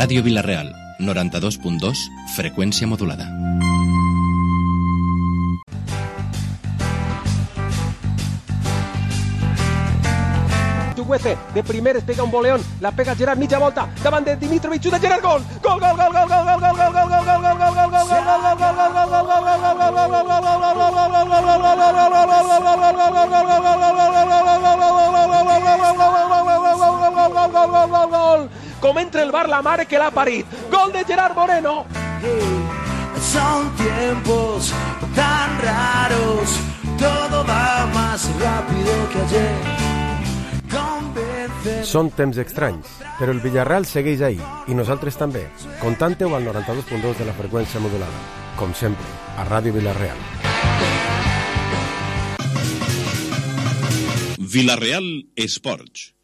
Ràdio Vila-real, 92.2, freqüència modulada. De primeres pega un boleón, la pega Gerard, mitja volta, davant de Dimitrovic, de Gerard, gol! Gol, gol, gol, gol, gol, gol, gol, gol, gol, gol, gol, gol, gol, gol, gol, com entra el bar la mare que l'ha parit. Gol de Gerard Moreno. Son tiempos tan raros, todo va más rápido que ayer. Són temps estranys, però el Villarreal segueix ahí, i nosaltres també. Contante-ho al 92.2 de la freqüència modulada. Com sempre, a Ràdio Vila-real. Vila-real Esports.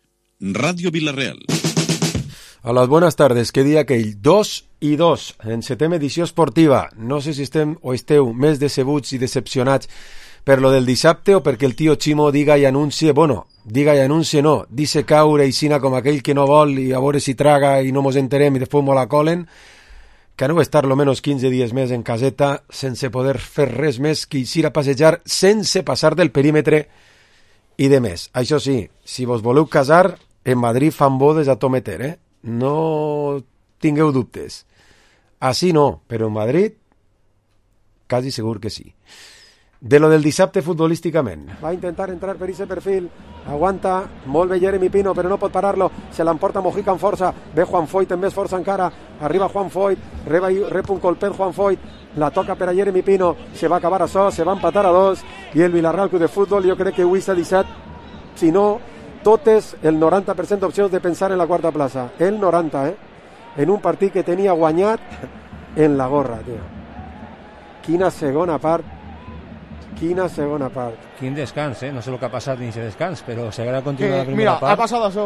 Ràdio Vila-real. Hola, buenas tardes. Què dia aquell? 2-2, en 7ª edició esportiva. No sé si estem o esteu més decebuts i decepcionats per lo del dissabte o perquè el tio Ximo diga i anuncie, diga i anuncie no, dice caure i sina com aquell que no vol i a veure si traga i no mos enterem i després mos la colen, que no va estar lo menos 15 dies més en caseta sense poder fer res més que eixir a passejar sense passar del perímetre i de més. Això sí, si vos voleu casar, en Madrid fan bodes a tometer, no tingueu dubtes. Així no, però en Madrid quasi segur que sí. De lo del dissabte futbolísticament. Va intentar entrar per ese perfil, aguanta molt bé Jeremy Pino, però no pot parar-lo, se l'emporta Mojica amb força, ve Juan Foyt amb més força encara, arriba Juan Foyt, rep un colpet Juan Foyt, la toca per a Jeremy Pino, se va acabar això, se va empatar a 2, i el Villarreal Club de Futbol jo crec que avui s'ha deixat, si no, totes el 90% d'opcions de pensar en la quarta plaça, el 90, en un partit que tenia guanyat en la gorra, tio. Quina segona part. Quin descans, no sé el que ha passat dins de descans, però si haguera continuat la primera part... Mira, ha passat això.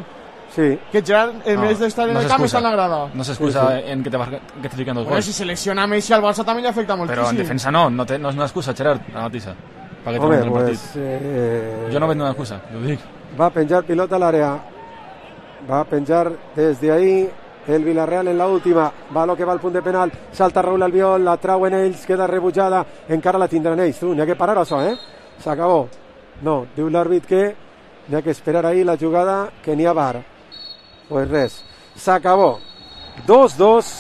Sí. Que Gerard, en vez d'estar en el camp, està en la grada. No s'excusa en que te fiquen dos gols. Si se lesiona Messi al Barça també li afecta moltíssim. Però en defensa no és una excusa, Gerard, la notícia. Home, pues... Jo no veig una excusa, ho dic. Va a penjar pilota a l'àrea. Va a penjar desde ahí el Villarreal en la última, va lo que va al punt de penal, salta Raúl Albiol, la trauen ells, queda rebutjada, encara la tindran ells, n'hi ha que parar això, s'acabó, no, diu l'àrbit que n'hi ha que esperar ahí la jugada, que n'hi ha VAR, pues res, s'acabó, 2-2,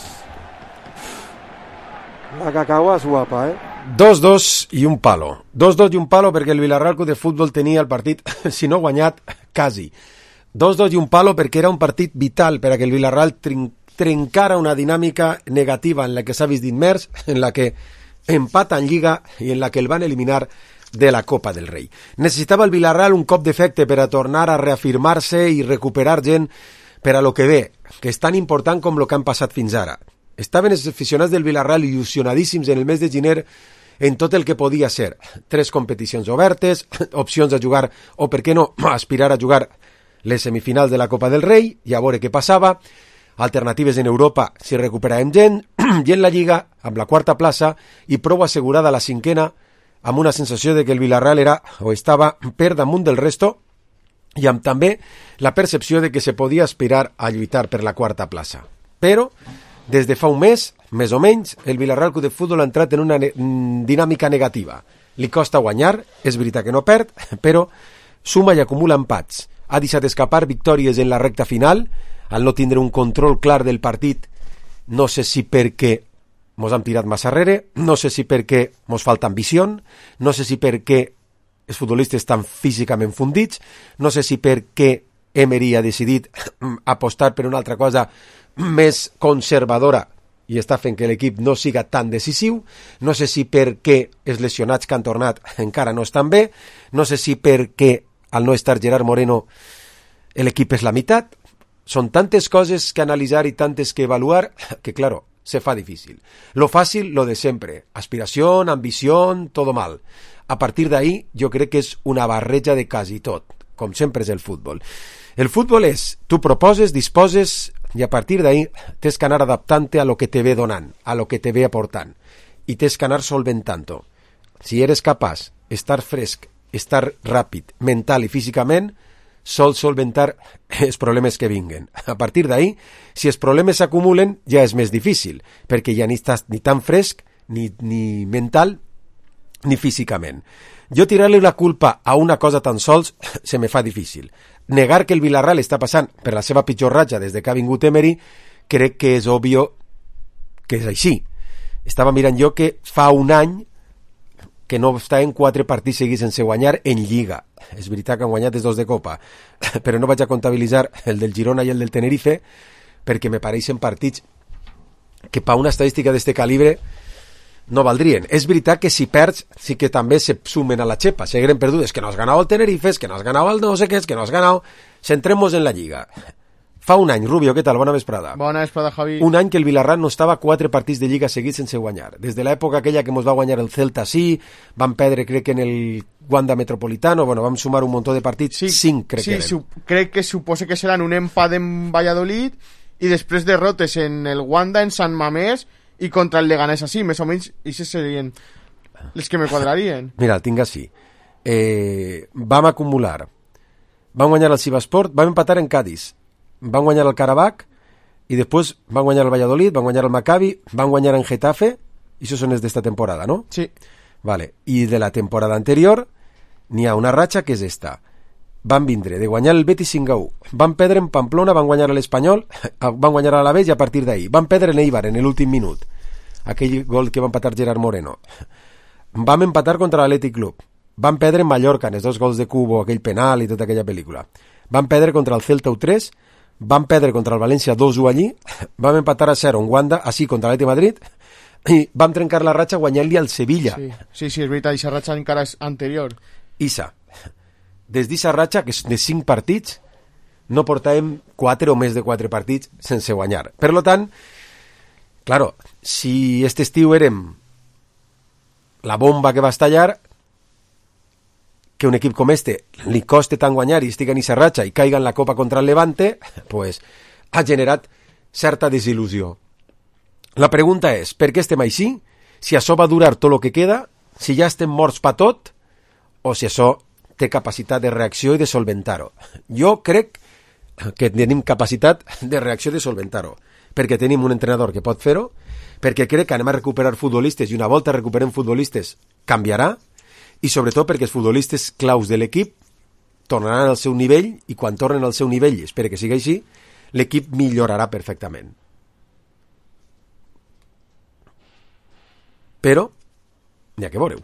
la cacagua és guapa, 2-2 i un palo, 2-2 i un palo perquè el Villarreal Club de Futbol tenia el partit, si no guanyat, quasi, 2-2 i un palo perquè era un partit vital per a que el Villarreal trencara una dinàmica negativa en la que s'ha vist immers, en la que empata en Lliga i en la que el van eliminar de la Copa del Rei. Necessitava el Villarreal un cop d'efecte per a tornar a reafirmar-se i recuperar gent per a lo que ve, que és tan important com lo que han passat fins ara. Estaven els aficionats del Villarreal il·lusionadíssims en el mes de gener en tot el que podia ser. 3 competicions obertes, opcions a jugar, o per què no, aspirar a jugar les semifinals de la Copa del Rei i a veure què passava, alternatives en Europa si recuperàvem gent, i en la Lliga amb la quarta plaça i prou assegurada la 5ª amb una sensació de que el Villarreal era o estava per damunt del resto i amb també la percepció de que se podia aspirar a lluitar per la quarta plaça. Però des de fa un mes, més o menys, el Villarreal Club de Futbol ha entrat en una dinàmica negativa. Li costa guanyar, és veritat que no perd, però suma i acumula empats. Ha deixat escapar victòries en la recta final, al no tindre un control clar del partit, no sé si perquè mos han tirat massa arrere, no sé si perquè mos falta ambició, no sé si perquè els futbolistes estan físicament fundits, no sé si perquè Emery ha decidit apostar per una altra cosa més conservadora i està fent que l'equip no siga tan decisiu, no sé si perquè els lesionats que han tornat encara no estan bé, no sé si perquè al no estar Gerard Moreno l'equip és la meitat. Són tantes coses que analitzar i tantes que evaluar que, claro, se fa difícil. Lo fàcil, lo de sempre. Aspiració, ambició, todo mal. A partir d'ahí, jo crec que és una barreja de quasi tot, com sempre és el futbol. El futbol és, tu proposes, disposes, i a partir d'ahí tens que anar adaptant-te a lo que te ve donant, a lo que te ve aportant, i tens que anar solventant-ho. Si eres capaç, estar fresc, estar ràpid, mental i físicament, sol solventar els problemes que vinguen. A partir d'ahí, si els problemes s'acumulen, ja és més difícil, perquè ja ni estàs ni tan fresc, ni mental, ni físicament. Jo tirar-li la culpa a una cosa tan sols se me fa difícil. Negar que el Villarreal està passant per la seva pitjor ratxa des que ha vingut Emery, crec que és òbvio que és així. Estava mirant jo que fa un any que no està en 4 partits seguits sense guanyar en Lliga. És veritat que han guanyat els 2 de Copa, però no vaig a comptabilitzar el del Girona i el del Tenerife perquè me pareixen partits que per una estadística d'este calibre no valdrien. És veritat que si perds sí que també se sumen a la xepa, seguirem perdudes, que no has ganado el Tenerife, que no has ganado el no sé què, que no has ganado... Centremos en la Lliga. Fa un any, Rubio, què tal? Bona vesprada. Bona vesprada, Javi. Un any que el Villarreal no estava 4 partits de Lliga seguits sense guanyar. Des de l'època aquella que ens va guanyar el Celta, sí, van perdre, crec que en el Wanda Metropolitano, bueno, vam sumar un muntó de partits, sí, 5 crec que eren. Crec que suposa que seran un empat en Valladolid i després derrotes en el Wanda, en Sant Mamés i contra el Leganés, així, més o menys, i se serien les que me quadrarien. Mira, el tinc així. Vam acumular. Vam guanyar el Sivasport, vam empatar en Cádiz. Van guanyar el Karabakh i després van guanyar el Valladolid, van guanyar el Maccabi, van guanyar en Getafe, i això són els d'esta temporada, no? Sí. Vale. I de la temporada anterior n'hi ha una ratxa que és esta. Van vindre de guanyar el Betis 5-1, van perdre en Pamplona, van guanyar l'Espanyol, van guanyar a l'Alavés i a partir d'ahir van perdre en Eibar en l'últim minut, aquell gol que va empatar Gerard Moreno. Vam empatar contra l'Athletic Club, van perdre en Mallorca en els 2 gols de Cubo, aquell penal i tota aquella pel·lícula, van perdre contra el Celta 3, van perdre contra el València 2-1 allí, vam empatar a 0 en Wanda, així contra l'Atlètic Madrid, i vam trencar la ratxa guanyant-li al Sevilla. Sí, és veritat, aquesta ratxa encara és anterior. Isa, des d'aquesta ratxa, que és de 5 partits, no portàvem 4 o més de 4 partits sense guanyar. Per tant, claro, si este estiu érem la bomba que va estallar, que un equip com este li coste tant guanyar i estigui en aquesta ratxa i caiga en la Copa contra el Levante, pues ha generat certa desil·lusió. La pregunta és, per què estem així? Si això va durar tot el que queda, si ja estem morts per tot, o si això té capacitat de reacció i de solventar-ho. Jo crec que tenim capacitat de reacció i de solventar-ho, perquè tenim un entrenador que pot fer-ho, perquè crec que anem a recuperar futbolistes i una volta recuperem futbolistes canviarà, i sobretot perquè els futbolistes claus de l'equip tornaran al seu nivell i quan tornen al seu nivell, espero que sigui així, l'equip millorarà perfectament. Però n'hi ha que veure-ho.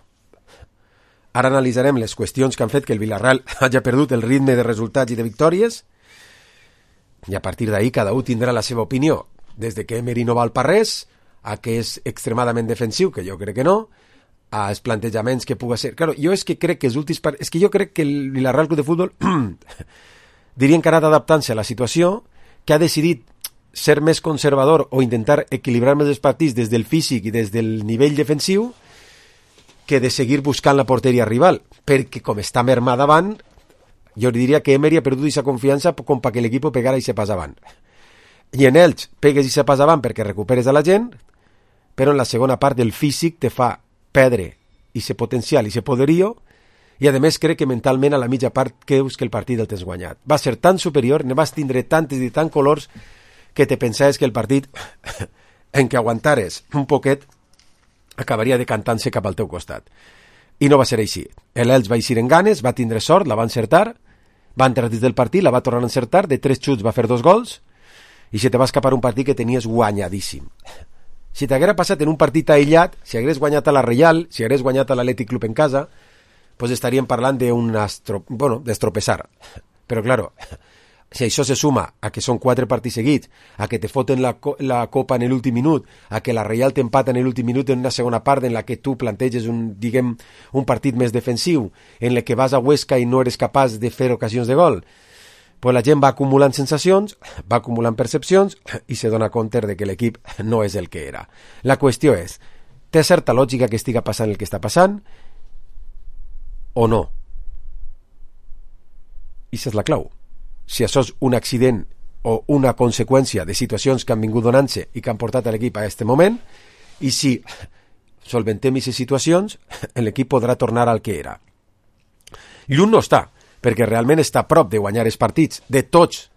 Ara analitzarem les qüestions que han fet que el Villarreal hagi perdut el ritme de resultats i de victòries i a partir d'ahir cada un tindrà la seva opinió, des de que Emery no val per res a que és extremadament defensiu, que jo crec que no, a els plantejaments que pugui ser. Claro, jo és que crec que els últims és que jo crec que el Villarreal Club de Futbol dirien que ha anat adaptant-se a la situació, que ha decidit ser més conservador o intentar equilibrar més els partits des del físic i des del nivell defensiu que de seguir buscant la porteria rival, perquè com està mermat davant, jo diria que Emery ha perdut aquesta confiança com perquè l'equip pegara i se pas avant. I en ells pegues i se pas avant perquè recuperes a la gent, però en la segona part del físic te fa perdre i ser potencial i ser poderio i a més crec que mentalment a la mitja part creus que el partit el tens guanyat. Va ser tan superior, ne vas tindre tantes i tant colors que te pensaves que el partit en què aguantares un poquet acabaria decantant-se cap al teu costat. I no va ser així. L'Elx va eixir en ganes, va tindre sort, la va encertar, va entrar dins del partit, la va tornar a encertar, de 3 xuts va fer 2 gols i se te va escapar un partit que tenies guanyadíssim. Si t'haguera passat en un partit aïllat, si hagués guanyat a la Reial, si hagués guanyat a l'Atlètic Club en casa, pues estaríem parlant d'estropeçar. Però, claro, si això se suma a que són 4 partits seguits, a que te foten la Copa en l'últim minut, a que la Reial t'empata en l'últim minut en una segona part en la que tu planteges un partit més defensiu, en la que vas a Huesca i no eres capaç de fer ocasions de gol, pues la gent va acumulant sensacions, va acumulant percepcions i se dona compte de que l'equip no és el que era. La qüestió és, té certa lògica que estiga passant el que està passant o no? I això és la clau. Si això és un accident o una conseqüència de situacions que han vingut donant-se i que han portat a l'equip a aquest moment, i si solventem aquestes situacions, l'equip podrà tornar al que era. Lluny no està, perquè realment està a prop de guanyar els partits, de tots.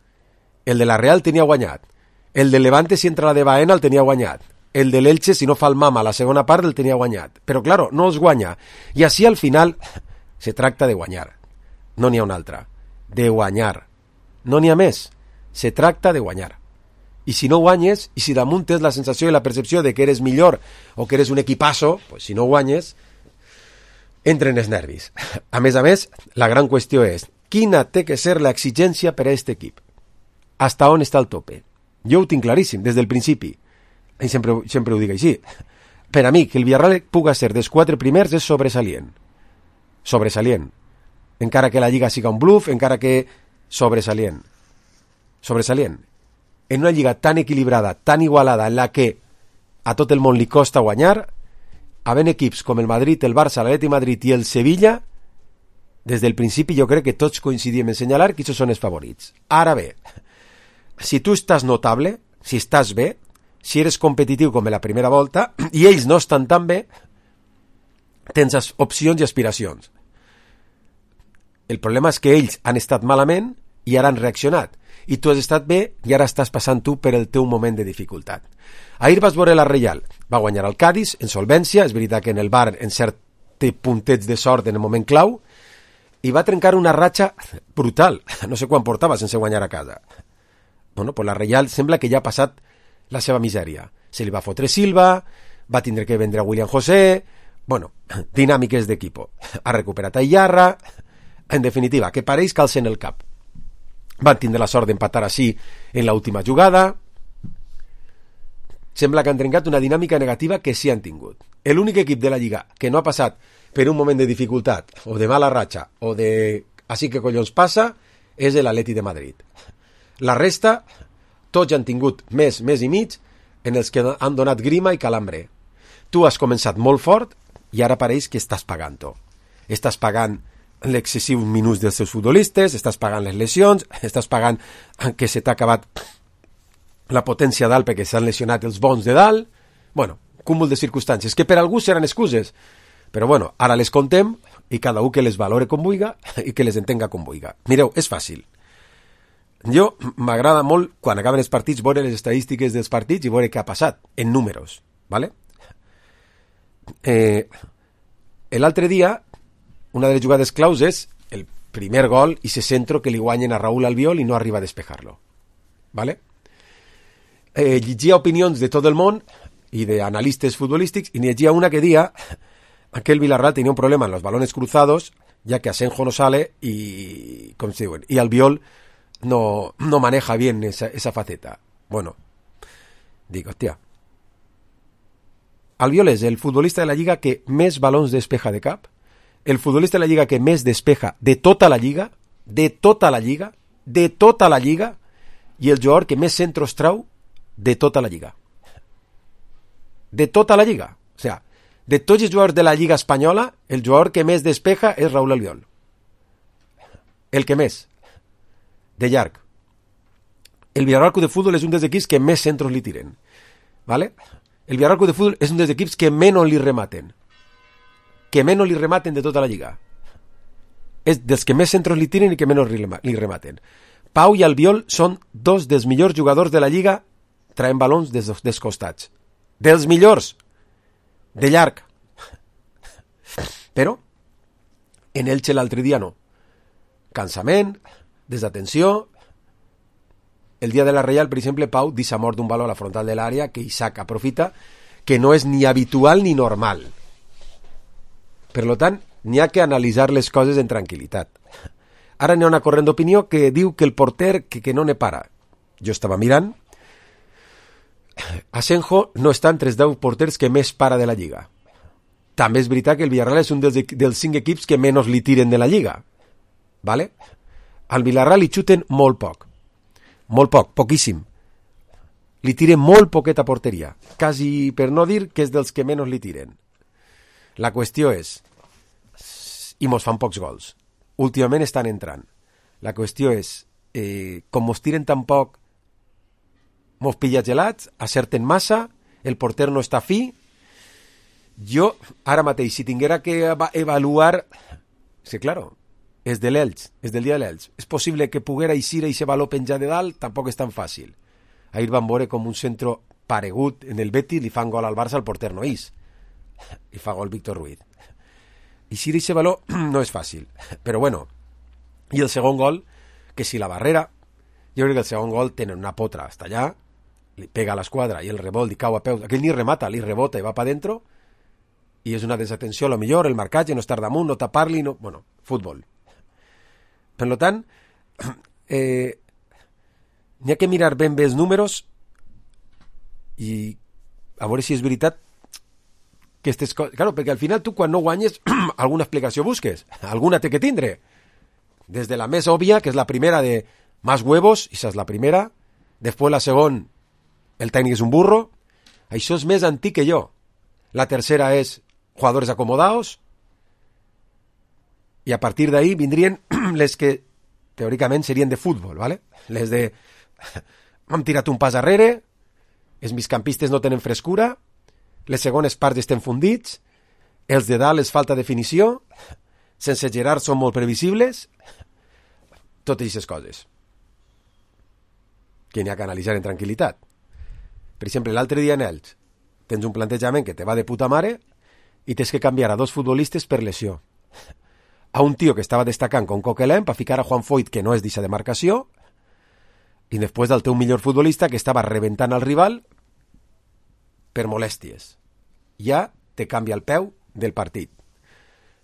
El de la Real tenia guanyat, el de Levante si entra la de Baena el tenia guanyat, el de l'Elche si no fa el mama a la segona part el tenia guanyat, però claro, no els guanya, i així al final se tracta de guanyar, no n'hi ha una altra, de guanyar, no n'hi ha més, se tracta de guanyar. I si no guanyes, i si damunt tens la sensació i la percepció de que eres millor o que eres un equipasso, pues si no guanyes, entren els nervis. A més, la gran qüestió és quina té que ser l'exigència per a aquest equip. Hasta on està el tope? Jo ho tinc claríssim, des del principi. I sempre ho dic així. Per a mi, que el Villarreal puga ser dels 4 primers és sobresalient. Sobresalient. Encara que la Lliga siga un bluff, encara que... Sobresalient. Sobresalient. En una lliga tan equilibrada, tan igualada, en la que a tot el món li costa guanyar, havent equips com el Madrid, el Barça, l'Atleti Madrid i el Sevilla, des del principi jo crec que tots coincidim en senyalar que aquests són els favorits. Ara bé, si tu estàs notable, si estàs bé, si eres competitiu com en la primera volta, i ells no estan tan bé, tens opcions i aspiracions. El problema és que ells han estat malament i ara han reaccionat. I tu has estat bé i ara estàs passant tu per el teu moment de dificultat. Ahir vas veure la Reial, va guanyar el Cádiz en solvència, és veritat que en el Bar en cert té puntets de sort en el moment clau, i va trencar una ratxa brutal, no sé quan portava sense guanyar a casa. Bueno, pues la Reial sembla que ja ha passat la seva misèria. Se li va fotre Silva, va tindre que vendre a William José, bueno, dinàmiques d'equipo. Ha recuperat a Iarra, en definitiva, que pareix calça en el cap. Van tindre la sort d'empatar així en l'última jugada. Sembla que han trencat una dinàmica negativa que sí han tingut. L'únic equip de la Lliga que no ha passat per un moment de dificultat o de mala ratxa o de així que collons passa és l'Atleti de Madrid. La resta, tots han tingut mes i mig en els que han donat grima i calambre. Tu has començat molt fort i ara pareix que estàs pagant-ho. Estàs pagant l'excessiu minuts dels seus futbolistes, estàs pagant les lesions, estàs pagant que se t'ha acabat la potència dalt perquè s'han lesionat els bons de dalt. Bueno, cúmul de circumstàncies que per algú seran excuses, però bueno, ara les contem i cada un que les valore com vulga i que les entenga com vulga. Mireu, és fàcil. Jo m'agrada molt, quan acaben els partits, veure les estadístiques dels partits i veure què ha passat, en números, ¿vale? L'altre dia, una de les jugades claus és el primer gol i ese centro que li guanyen a Raúl Albiol i no arriba a despejar-lo. ¿Vale? Llegia opinions de tot el món i d'analistes futbolístics i n'hi llegia una que dia que el Villarreal tenia un problema en los balones cruzados, ya que Asenjo no sale y, com se diuen, y Albiol no maneja bien esa faceta. Bueno, digo, hostia, Albiol és el futbolista de la Lliga que més balons despeja de cap, el futbolista de la Lliga que més despeja de tota la Lliga, i el jugador que més centros trau de tota la Lliga. De tota la Lliga. O sea, de tots els jugadors de la Lliga espanyola, el jugador que més despeja és Raúl Albiol. El que més. De llarg. El Villarreal Club de Fútbol és un dels equips que més centros li tiren. ¿Vale? El Villarreal Club de Fútbol és un dels equips que menys li rematen. De tota la Lliga. És dels que més centros li tiren i que menys li rematen. Pau i Albiol són dos dels millors jugadors de la Lliga traient balons dels costats. Dels millors. De llarg. Però en Elche l'altre dia no. Cansament, desatenció. El dia de la Reial, per exemple, Pau deixa mort d'un baló a la frontal de l'àrea que Isaac aprofita, que no és ni habitual ni normal. Per tant, n'hi ha que analitzar les coses en tranquil·litat. Ara n'hi ha una corrent d'opinió que diu que el porter que no ne para. Jo estava mirant. Asenjo no està entre els 10 porters que més para de la Lliga. També és veritat que el Villarreal és un dels 5 equips que menys li tiren de la Lliga. ¿Vale? Al Villarreal li xuten molt poc. Molt poc, poquíssim. Li tiren molt poqueta porteria. Quasi per no dir que és dels que menys li tiren. La qüestió és, i mos fan pocs gols. Últimament estan entrant. La qüestió és, com mos tiren tan poc, mos pilla gelats, acerten massa, el porter no està fi. Jo, ara mateix, si tinguera que avaluar... Sí, claro, és de l'Elx, és del dia de l'Elx. És possible que poguera eixir i se valor penjar de dalt, tampoc és tan fàcil. Ahir van veure com un centre paregut en el Betis li fan gol al Barça, el porter no és. Li fa gol Víctor Ruiz. Eixir i se valor no és fàcil, però bueno. I el segon gol, que si la barrera, jo crec que el segon gol tenen una potra hasta allà, li pega a l'esquadra i el rebot li cau a peus, aquell ni remata, li rebota i va pa dentro, i és una desatenció, a lo millor, el marcatge, no estar damunt, no tapar-li, no... bueno, futbol. Per tant, n'hi ha que mirar ben bé els números i a veure si és veritat que aquestes coses... Claro, perquè al final tu quan no guanyes alguna explicació busques, alguna té que tindre. Des de la més òbvia, que és la primera de más huevos, i esa és la primera, després la segon, el tècnic és un burro, això és més antic que jo. La tercera és jugadores acomodados, i a partir d'ahí vindrien les que teòricament serien de futbol, ¿vale? Les de hem tirat un pas arrere, els migcampistes no tenen frescura, les segones parts estem fundits, els de dalt és falta definició, sense Gerard són molt previsibles, totes aquestes coses que n'hi ha que analitzar en tranquil·litat. Per exemple, l'altre dia en Elx tens un plantejament que te va de puta mare i tens que canviar a 2 futbolistes per lesió. A un tio que estava destacant com Coquelin per ficar a Juan Foyt, que no és d'eixa demarcació, i després del teu millor futbolista que estava rebentant al rival per molèsties. Ja te canvia el peu del partit.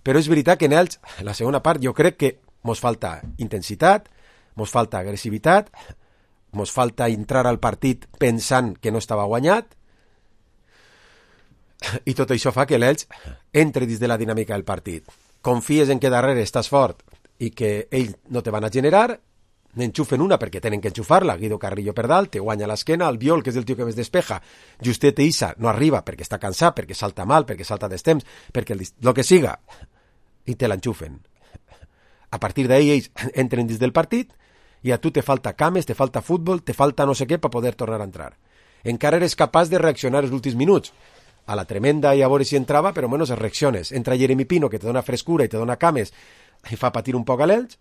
Però és veritat que en Elx, la segona part, jo crec que mos falta intensitat, mos falta agressivitat, mos falta entrar al partit pensant que no estava guanyat, i tot això fa que l'Elx entri dins de la dinàmica del partit. Confies en que darrere estàs fort i que ells no te van a generar, n'enxufen una perquè tenen que enxufar-la, Guido Carrillo per dalt, te guanya l'esquena, el Biol, que és el tio que més despeja, Justet Issa no arriba perquè està cansat, perquè salta mal, perquè salta d'estemps, perquè el que siga, i te l'enxufen. A partir d'ahí ells entren dins del partit i a tu te falta cames, te falta futbol, te falta no sé què per poder tornar a entrar. Encara eres capaç de reaccionar els últims minuts. A la tremenda i a veure si entrava, però menos reacciones. Entra Jeremy Pino, que te dona frescura i te dona cames i fa patir un poc a l'Elx,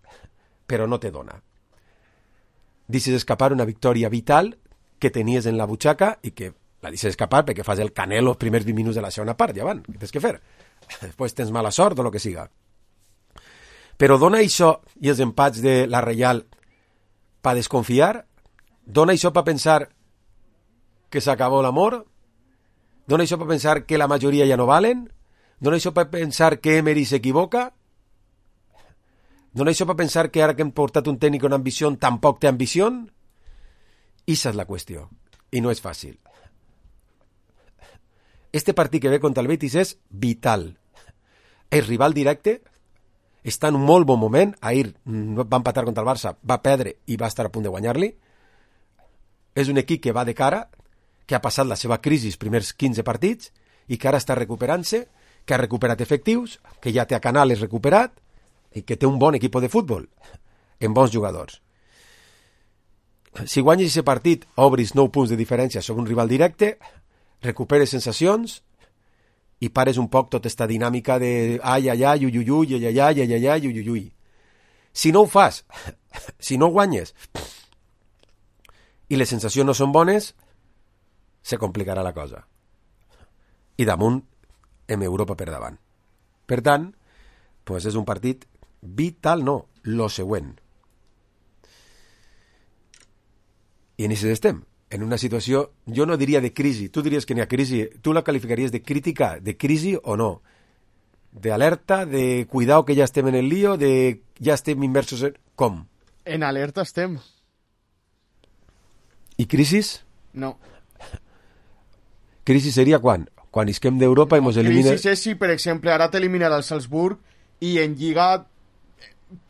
però no te dona. Deixes escapar una victòria vital que tenies en la butxaca i que la deixes escapar perquè fas el canelo els primers 20 minuts de la segona part, ja van, què tens que fer? Després tens mala sort o el que siga. Però dona això i els empats de la Reial per desconfiar? Dona això per pensar que s'acabó l'amor? Dona això per pensar que la majoria ja no valen? Dona això per pensar que Emery s'equivoca? Dona això per pensar que ara que hem portat un tècnic amb ambició tampoc té ambició? Issa és la qüestió. I no és fàcil. Este partit que ve contra el Betis és vital. És rival directe, està en un molt bon moment, ahir va empatar contra el Barça, va perdre i va estar a punt de guanyar-li. És un equip que va de cara, que ha passat la seva crisi els primers 15 partits i que ara està recuperant-se, que ha recuperat efectius, que ja té a Canales recuperat i que té un bon equip de futbol, amb bons jugadors. Si guanyes aquest partit, obris 9 punts de diferència sobre un rival directe, recuperes sensacions i pares un poc tota aquesta dinàmica de ai, ai, ai, ui, ui, ui, ai, ai, ai, ai, ai, ui, ui, ui. Si no ho fas, si no guanyes i les sensacions no són bones, se complicarà la cosa. I damunt, en Europa per davant. Per tant, pues és un partit vital, no, lo següent. I en això estem, en una situació, jo no diria de crisi, tu diries que n'hi ha crisi, tu la qualificaries de crítica, de crisi o no? De alerta, de cuidado que ja estem en el lío, de ja estem immersos en... Com? En alerta estem. I crisis? No. Crisi seria quan? Quan isquem d'Europa i mos elimina... Crisi és si, per exemple, ara t'eliminarà el Salzburg i en Lliga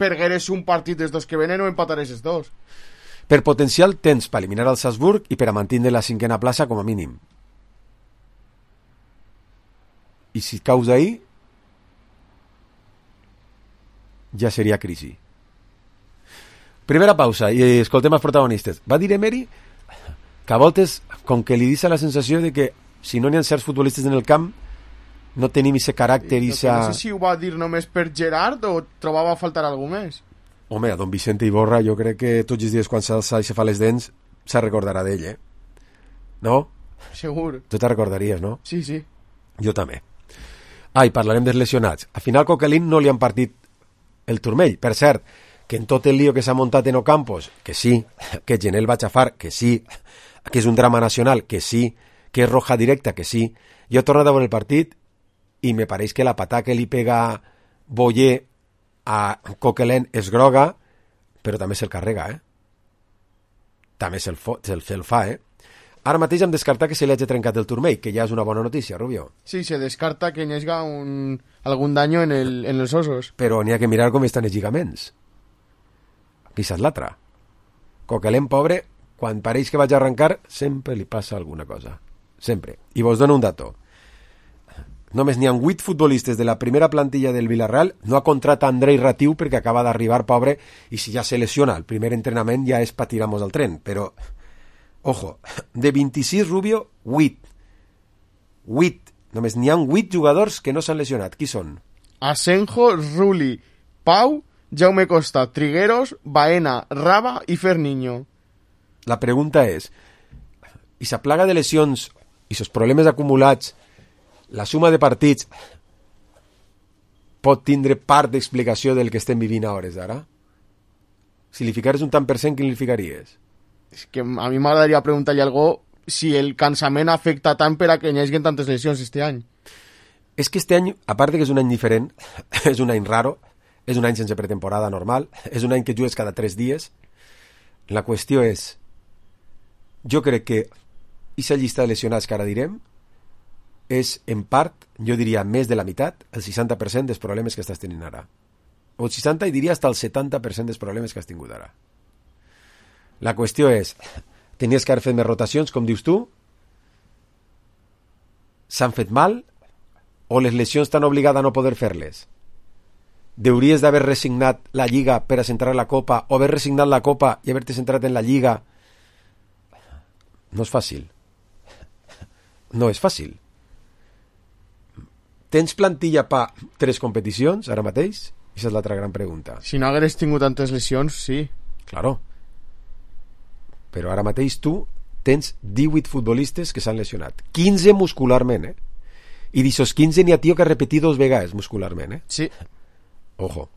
pergueres un partit dels dos que venen o empatares els dos. Per potencial tens per eliminar el Salzburg i per a mantenir la 5a plaça com a mínim. I si caus ahí, ja seria crisi. Primera pausa i escoltem els protagonistes. Va dir Emery que a voltes, com que li deixa la sensació de que si no n'hi ha certs futbolistes en el camp, no tenim ese caràcter i No sé si ho va dir només per Gerard o trobava a faltar algú més. Home, a don Vicente Iborra jo crec que tots els dies quan s'alça i se fa les dents se recordarà d'ell, No? Segur. Tu te recordaries, no? Sí, sí. Jo també. I parlarem dels lesionats. Al final Coquelin no li han partit el turmell. Per cert, que en tot el lío que s'ha muntat en Ocampos, que sí, que Genel va xafar, que sí, que és un drama nacional, que sí, que és roja directa, que sí. Jo he tornat a veure el partit i me pareix que la patà que li pega Boyer a Coquelin és groga, però també se'l carrega, També se'l fa, Ara mateix hem descartat que se li hagi trencat el turmell, que ja és una bona notícia, Rubio. Sí, se descarta que hi hagi algun daño en els ossos. Però n'hi ha que mirar com estan els lligaments. Aquesta és l'altra. Coquelin, pobre, quan pareix que vaig a arrencar, sempre li passa alguna cosa. Sempre. I vos dono un dato. Només n'hi ha 8 futbolistes de la primera plantilla del Villarreal. No ha contratat Andrei Ratiu perquè acaba d'arribar, pobre, i si ja se lesiona el primer entrenament ja és per tirar-nos al tren. Però, ojo, de 26, Rubio, 8. 8. Només n'hi ha 8 jugadors que no s'han lesionat. Qui són? Asenjo, Rulli, Pau, Jaume Costa, Trigueros, Baena, Raba i Ferniño. La pregunta és, i sa plaga de lesions i sos problemes acumulats, la suma de partits pot tindre part d'explicació del que estem vivint a hores d'ara? Si li ficares un tant per cent, quin li ficaries? És que a mi m'agradaria preguntar-li a algú si el cansament afecta tant per a que hi hagi tantes lesions este any. És que este any, a part de que és un any diferent, és un any raro, és un any sense pretemporada normal, és un any que jugues cada 3 dies. La qüestió és, jo crec que aquesta llista de lesionats que ara direm és, en part, jo diria més de la meitat, el 60% dels problemes que estàs tenint ara. O el 60, i diria fins al 70% dels problemes que has tingut ara. La qüestió és, tenies que haver fet més rotacions, com dius tu? S'han fet mal? O les lesions t'han obligat a no poder fer-les? Deuries d'haver resignat la Lliga per a centrar la Copa, o haver resignat la Copa i haver-te centrat en la Lliga? No és fàcil. No és fàcil. Tens plantilla pa 3 competicions ara mateix? Aquesta és l'altra gran pregunta. Si no hagués tingut tantes lesions, sí. Claro. Però ara mateix tu tens 18 futbolistes que s'han lesionat. 15 muscularment, I d'aixòs 15 n'hi ha tio que ha repetit 2 vegades muscularment, Sí. Ojo,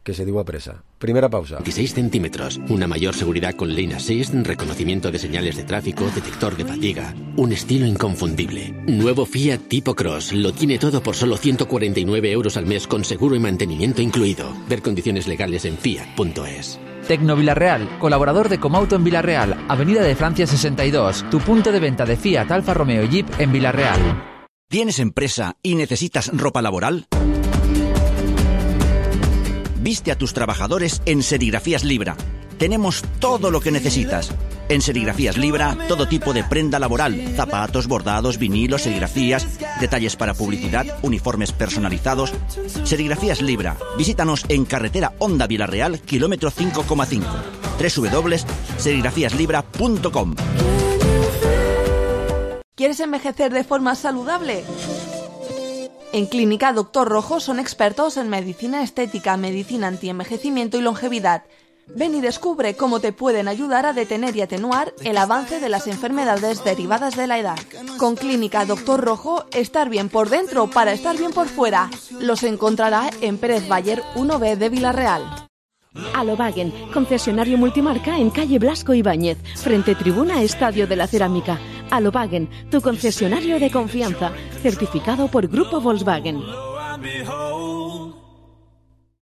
que se diu a presa. Primera pausa. 26 centímetros, una mayor seguridad con Lane Assist, reconocimiento de señales de tráfico, detector de fatiga, un estilo inconfundible. Nuevo Fiat Tipo Cross, lo tiene todo por solo 149 euros al mes con seguro y mantenimiento incluido. Ver condiciones legales en fiat.es. Tecno Villarreal, colaborador de Comauto en Villarreal, Avenida de Francia 62, tu punto de venta de Fiat, Alfa Romeo y Jeep en Villarreal. ¿Tienes empresa y necesitas ropa laboral? Viste a tus trabajadores en Serigrafías Libra. Tenemos todo lo que necesitas. En Serigrafías Libra, todo tipo de prenda laboral, zapatos, bordados, vinilos, serigrafías, detalles para publicidad, uniformes personalizados. Serigrafías Libra. Visítanos en carretera Honda Villarreal, kilómetro 5,5. www.serigrafíaslibra.com. ¿Quieres envejecer de forma saludable? En Clínica Doctor Rojo son expertos en medicina estética, medicina antienvejecimiento y longevidad. Ven y descubre cómo te pueden ayudar a detener y atenuar el avance de las enfermedades derivadas de la edad. Con Clínica Doctor Rojo, estar bien por dentro para estar bien por fuera. Los encontrará en Pérez Bayer 1B de Villarreal. Alobagen, concesionario multimarca en calle Blasco Ibáñez, frente tribuna Estadio de la Cerámica. Alobagen, tu concesionario de confianza, certificado por Grupo Volkswagen.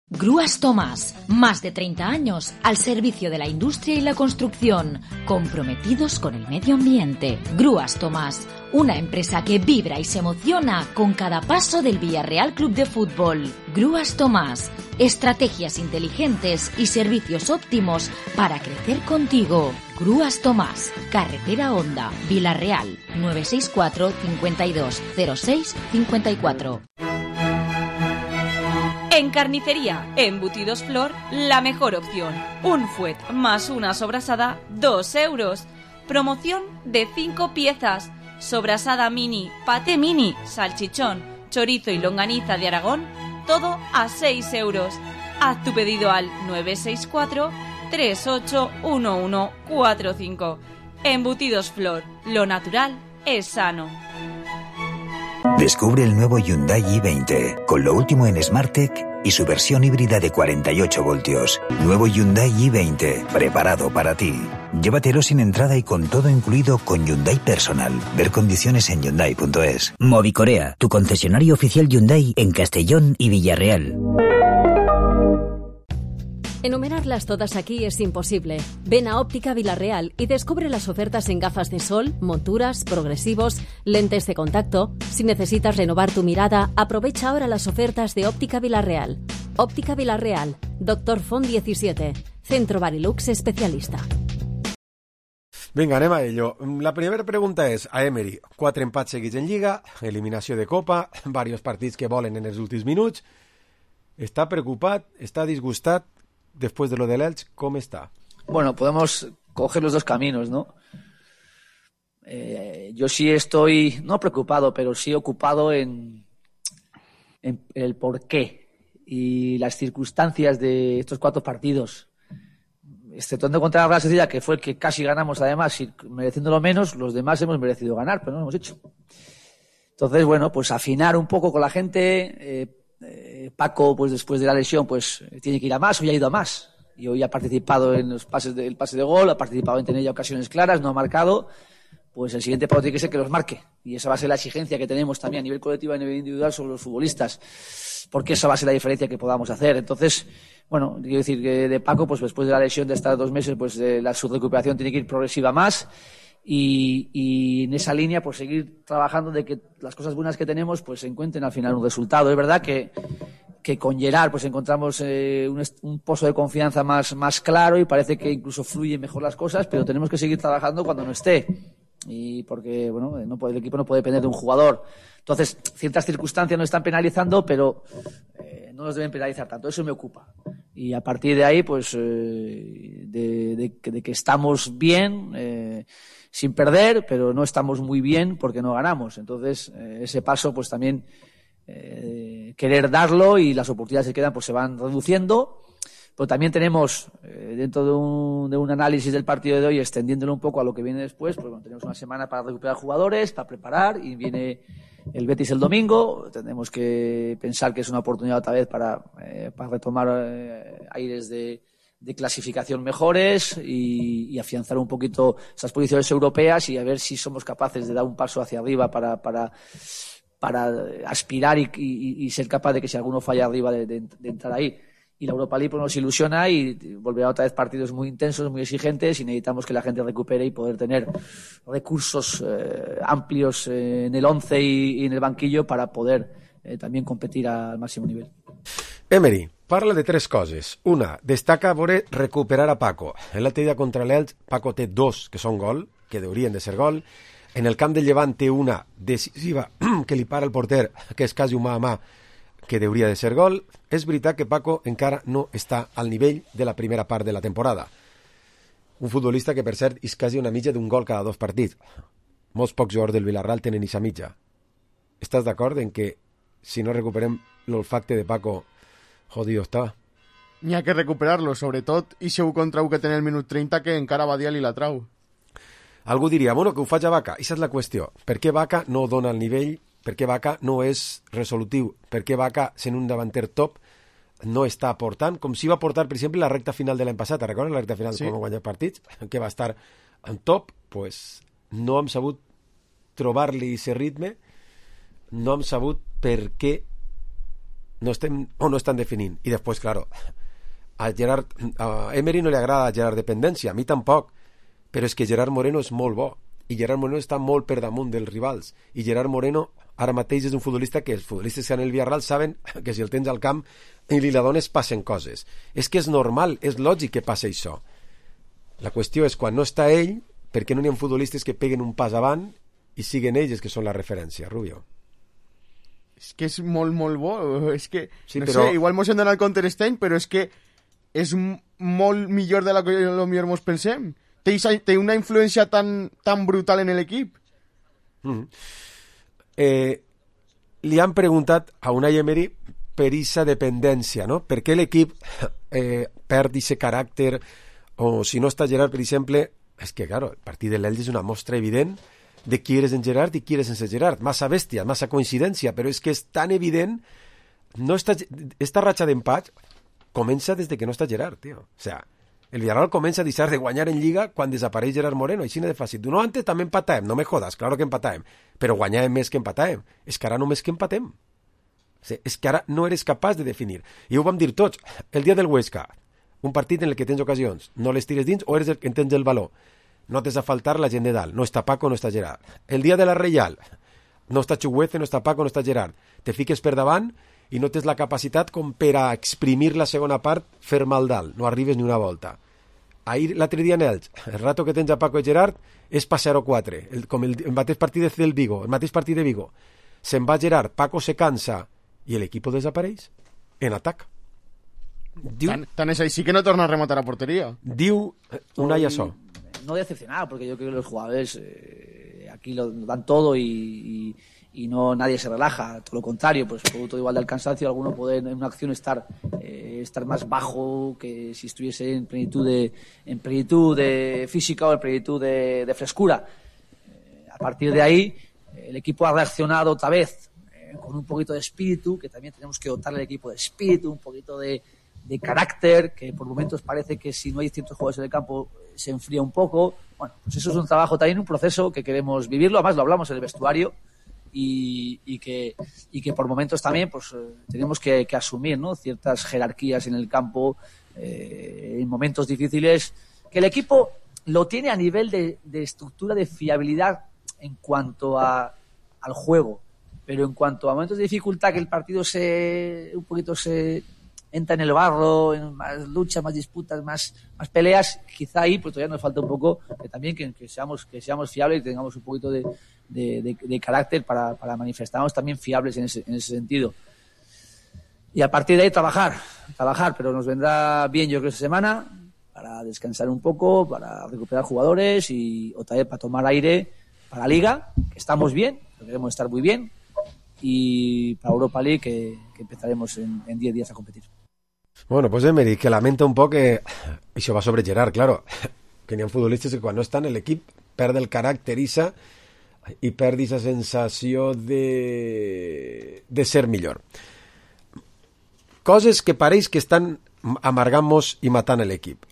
Grúas Tomás, más de 30 años al servicio de la industria y la construcción, comprometidos con el medio ambiente. Grúas Tomás, una empresa que vibra y se emociona con cada paso del Villarreal Club de Fútbol. Grúas Tomás, estrategias inteligentes y servicios óptimos para crecer contigo. Grúas Tomás, carretera Honda, Villarreal, 964 52 06 54. En carnicería, embutidos Flor, la mejor opción. Un fuet más una sobrasada, 2 euros. Promoción de 5 piezas. sobrasada mini, paté mini, salchichón, chorizo y longaniza de Aragón, todo a 6 euros. Haz tu pedido al 964 381145. Embutidos Flor, lo natural es sano. Descubre el nuevo Hyundai i20, con lo último en SmartTech y su versión híbrida de 48 voltios. Nuevo Hyundai i20, preparado para ti. Llévatelo sin entrada y con todo incluido con Hyundai Personal. Ver condiciones en Hyundai.es. Movicorea, tu concesionario oficial Hyundai en Castellón y Villarreal. Enumerarlas todas aquí es imposible. Ven a Óptica Villarreal y descubre las ofertas en gafas de sol, monturas, progresivos, lentes de contacto. Si necesitas renovar tu mirada, aprovecha ahora las ofertas de Óptica Villarreal. Óptica Villarreal, Dr. Font 17, Centro Barilux especialista. Vinga, anem a ello. La primera pregunta és a Emery. 4 empats seguits en Lliga, eliminació de Copa, diversos partits que volen en els últims minuts. Està preocupat? Està disgustat? Después de lo del Elche, ¿cómo está? Bueno, podemos coger los dos caminos, ¿no? Yo sí estoy, no preocupado, pero sí ocupado en el porqué y las circunstancias de estos 4 partidos. Exceptuando contra la Real Sociedad, que fue el que casi ganamos además, y mereciéndolo menos, los demás hemos merecido ganar, pero no lo hemos hecho. Entonces, bueno, pues afinar un poco con la gente. Paco, pues después de la lesión, pues tiene que ir a más, hoy ha ido a más. Y hoy ha participado en los pases el pase de gol, ha participado en tener ya ocasiones claras, no ha marcado. Pues el siguiente paso tiene que ser que los marque. Y esa va a ser la exigencia que tenemos también a nivel colectivo y a nivel individual sobre los futbolistas. Porque esa va a ser la diferencia que podamos hacer. Entonces, bueno, quiero decir que de Paco, pues después de la lesión de estar 2 meses, pues su recuperación tiene que ir progresiva más. Y en esa línea, pues seguir trabajando de que las cosas buenas que tenemos, pues encuentren al final un resultado. Es verdad que con Gerard, pues encontramos un pozo de confianza más claro y parece que incluso fluyen mejor las cosas, pero tenemos que seguir trabajando cuando no esté. Y porque, bueno, el equipo no puede depender de un jugador. Entonces, ciertas circunstancias nos están penalizando, pero no nos deben penalizar tanto. Eso me ocupa. Y a partir de ahí, pues, de que estamos bien, sin perder, pero no estamos muy bien porque no ganamos. Entonces, ese paso, pues también querer darlo y las oportunidades que quedan, pues se van reduciendo. Pero también tenemos, dentro de un análisis del partido de hoy, extendiéndolo un poco a lo que viene después, pues bueno, tenemos una semana para recuperar jugadores, para preparar, y viene el Betis el domingo. Tenemos que pensar que es una oportunidad otra vez para retomar aires de clasificación mejores y afianzar un poquito esas posiciones europeas y a ver si somos capaces de dar un paso hacia arriba para aspirar y ser capaz de que si alguno falla arriba de entrar ahí. Y la Europa League pues, nos ilusiona y volverá otra vez partidos muy intensos, muy exigentes, y necesitamos que la gente recupere y poder tener recursos amplios en el 11 y en el banquillo para poder también competir al máximo nivel. Emery, parla de 3 coses. Una, destaca voler recuperar a Paco. En l'altre dia contra l'Elx, Paco té 2 que són gol, que deurien de ser gol. En el camp del Llevant té una decisiva que li para el porter, que és quasi un mà a mà, que deuria de ser gol. És veritat que Paco encara no està al nivell de la primera part de la temporada. Un futbolista que, per cert, és quasi una mitja d'un gol cada 2 partits. Molts pocs jugadors del Villarreal tenen aquesta mitja. Estàs d'acord en que si no recuperem l'olfacte de Paco, jodido està? N'hi ha que recuperar-lo, sobretot, i si ho contra un que té el minut 30 que encara Badia li la trau. Algú diria, bueno, que ho faig a Vaca. Aquesta és la qüestió. Per què Vaca no dona el nivell? Per què Vaca no és resolutiu? Per què Vaca, sent un davanter top, no està aportant? Com si va aportar, per exemple, la recta final de l'any passat. Recordes la recta final sí. Com va guanyar partits? Que va estar en top. Pues no hem sabut trobar-li aquest ritme. No hem sabut per què no estem o no estan definint. I després, claro, a Emery no li agrada Gerard dependència, a mi tampoc, però és que Gerard Moreno és molt bo i Gerard Moreno està molt per damunt dels rivals i Gerard Moreno ara mateix és un futbolista que els futbolistes que estan en el Villarreal saben que si el tens al camp i li la dones passen coses. És que és normal, és lògic que passi això. La qüestió és quan no està ell, per què no hi ha futbolistes que peguen un pas avant i siguen ells que són la referència, Rubio? És que és molt, molt bo. És que, sí, no però... sé, igual mos hem d'anar al Counter-Strike, però és que és molt millor de la que potser mos pensem. Té una influència tan brutal en l'equip. Li han preguntat a Unai Emery per aquesta dependència, no? Per què l'equip perd aquest caràcter, o si no està Gerard, per exemple, és que, claro, el partit de l'Elx és una mostra evident de qui eres en Gerard i qui eres sense Gerard. Massa bèstia, massa coincidència, però és que és tan evident. No està, esta ratxa d'empat comença des de que no està Gerard, tio. O sea, el Villarreal comença a deixar de guanyar en Lliga quan desapareix Gerard Moreno, així de fàcil. No, antes també empatàvem, no me jodas, claro que empatàvem, però guanyàvem més que empatàvem. És que ara només que empatem. O sigui, és que ara no eres capaç de definir. I ho vam dir tots. El dia del Huesca, un partit en el que tens ocasions, no les tires dins o eres el que tens el valor. No t'has de faltar la gent de dalt. No està Paco, no està Gerard. El dia de la Reial, no està Chuguece, no està Paco, no està Gerard. Te fiques per davant i no tens la capacitat com per a exprimir la segona part, fer mal dalt. No arribes ni una volta. Ahir, l'altre dia en Elx, el rato que tens a Paco i Gerard és pa 0-4, com el mateix partit del Vigo, el mateix partit de Vigo. Se'n va Gerard, Paco se cansa i l'equip desapareix en atac. Diu, tan es así que no torna a rematar a portería. Diu Unai això. No decepcionar, porque yo creo que los jugadores aquí lo dan todo y no nadie se relaja, todo lo contrario, pues producto igual del cansancio, alguno puede en una acción estar más bajo que si estuviese en plenitud de física o en plenitud de frescura. A partir de ahí, el equipo ha reaccionado otra vez con un poquito de espíritu, que también tenemos que dotarle al equipo de espíritu, un poquito de carácter, que por momentos parece que si no hay ciertos jugadores en el campo se enfría un poco. Bueno, pues eso es un trabajo también, un proceso que queremos vivirlo, además lo hablamos en el vestuario y que por momentos también pues tenemos que asumir, ¿no?, ciertas jerarquías en el campo en momentos difíciles, que el equipo lo tiene a nivel de estructura de fiabilidad en cuanto al juego, pero en cuanto a momentos de dificultad, que el partido se entra en el barro, en más luchas, más disputas, más peleas, quizá ahí pues todavía nos falta un poco también que seamos fiables y tengamos un poquito de carácter para manifestarnos también fiables en ese sentido. Y a partir de ahí trabajar, pero nos vendrá bien, yo creo, esta semana para descansar un poco, para recuperar jugadores y otra vez para tomar aire para la Liga, que estamos bien, que queremos estar muy bien, y para Europa League, que empezaremos en 10 días a competir. Bueno, pues Emery, que lamenta un poc que això va sobre Gerard, claro, que n'hi ha futbolistes que quan no estan l'equip perd el caràcter i perd aquesta sensació de ser millor. Coses que pareix que estan amargant-nos i matant l'equip.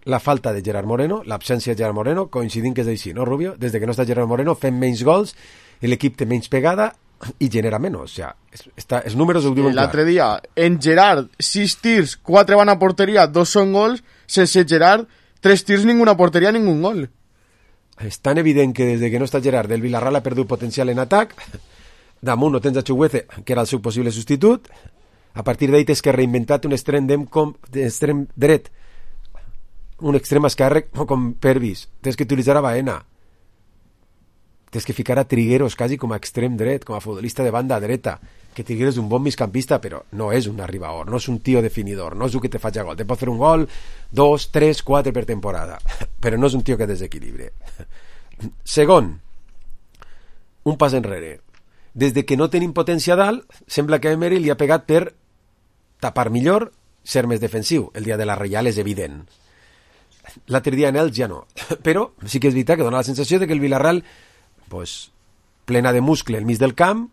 La falta de Gerard Moreno, l'absència de Gerard Moreno, coincidint que és així, no, Rubio? Des que no està Gerard Moreno fem menys gols, l'equip té menys pegada i genera menys. O sea, els números ho diuen clar. L'altre dia, en Gerard, 6 tirs, 4 van a porteria, 2 són gols, sense Gerard, 3 tirs, ninguna porteria, ningún gol. És tan evident que des que no està Gerard, el Villarreal ha perdut potencial en atac, damunt no tens a Chuguece, que era el seu possible substitut, a partir d'ahí tens que reinventar un extrem dret, un extrem esquerre com Pervis, tens que utilitzar a Baena, tens que ficar a Trigueros quasi com a extrem dret, com a futbolista de banda dreta, que Trigueros és un bon migcampista, però no és un arribador, no és un tio definidor, no és un que te faci gol, te pot fer un gol 2, 3, 4 per temporada, però no és un tio que desequilibre. Segon, un pas enrere. Des que no tenim potència dalt, sembla que Emery li ha pegat per tapar millor, ser més defensiu. El dia de la Reial és evident. L'altre dia en Elx ja no. Però sí que és veritat que dona la sensació de que el Villarreal, pues, plena de muscle al mig del camp,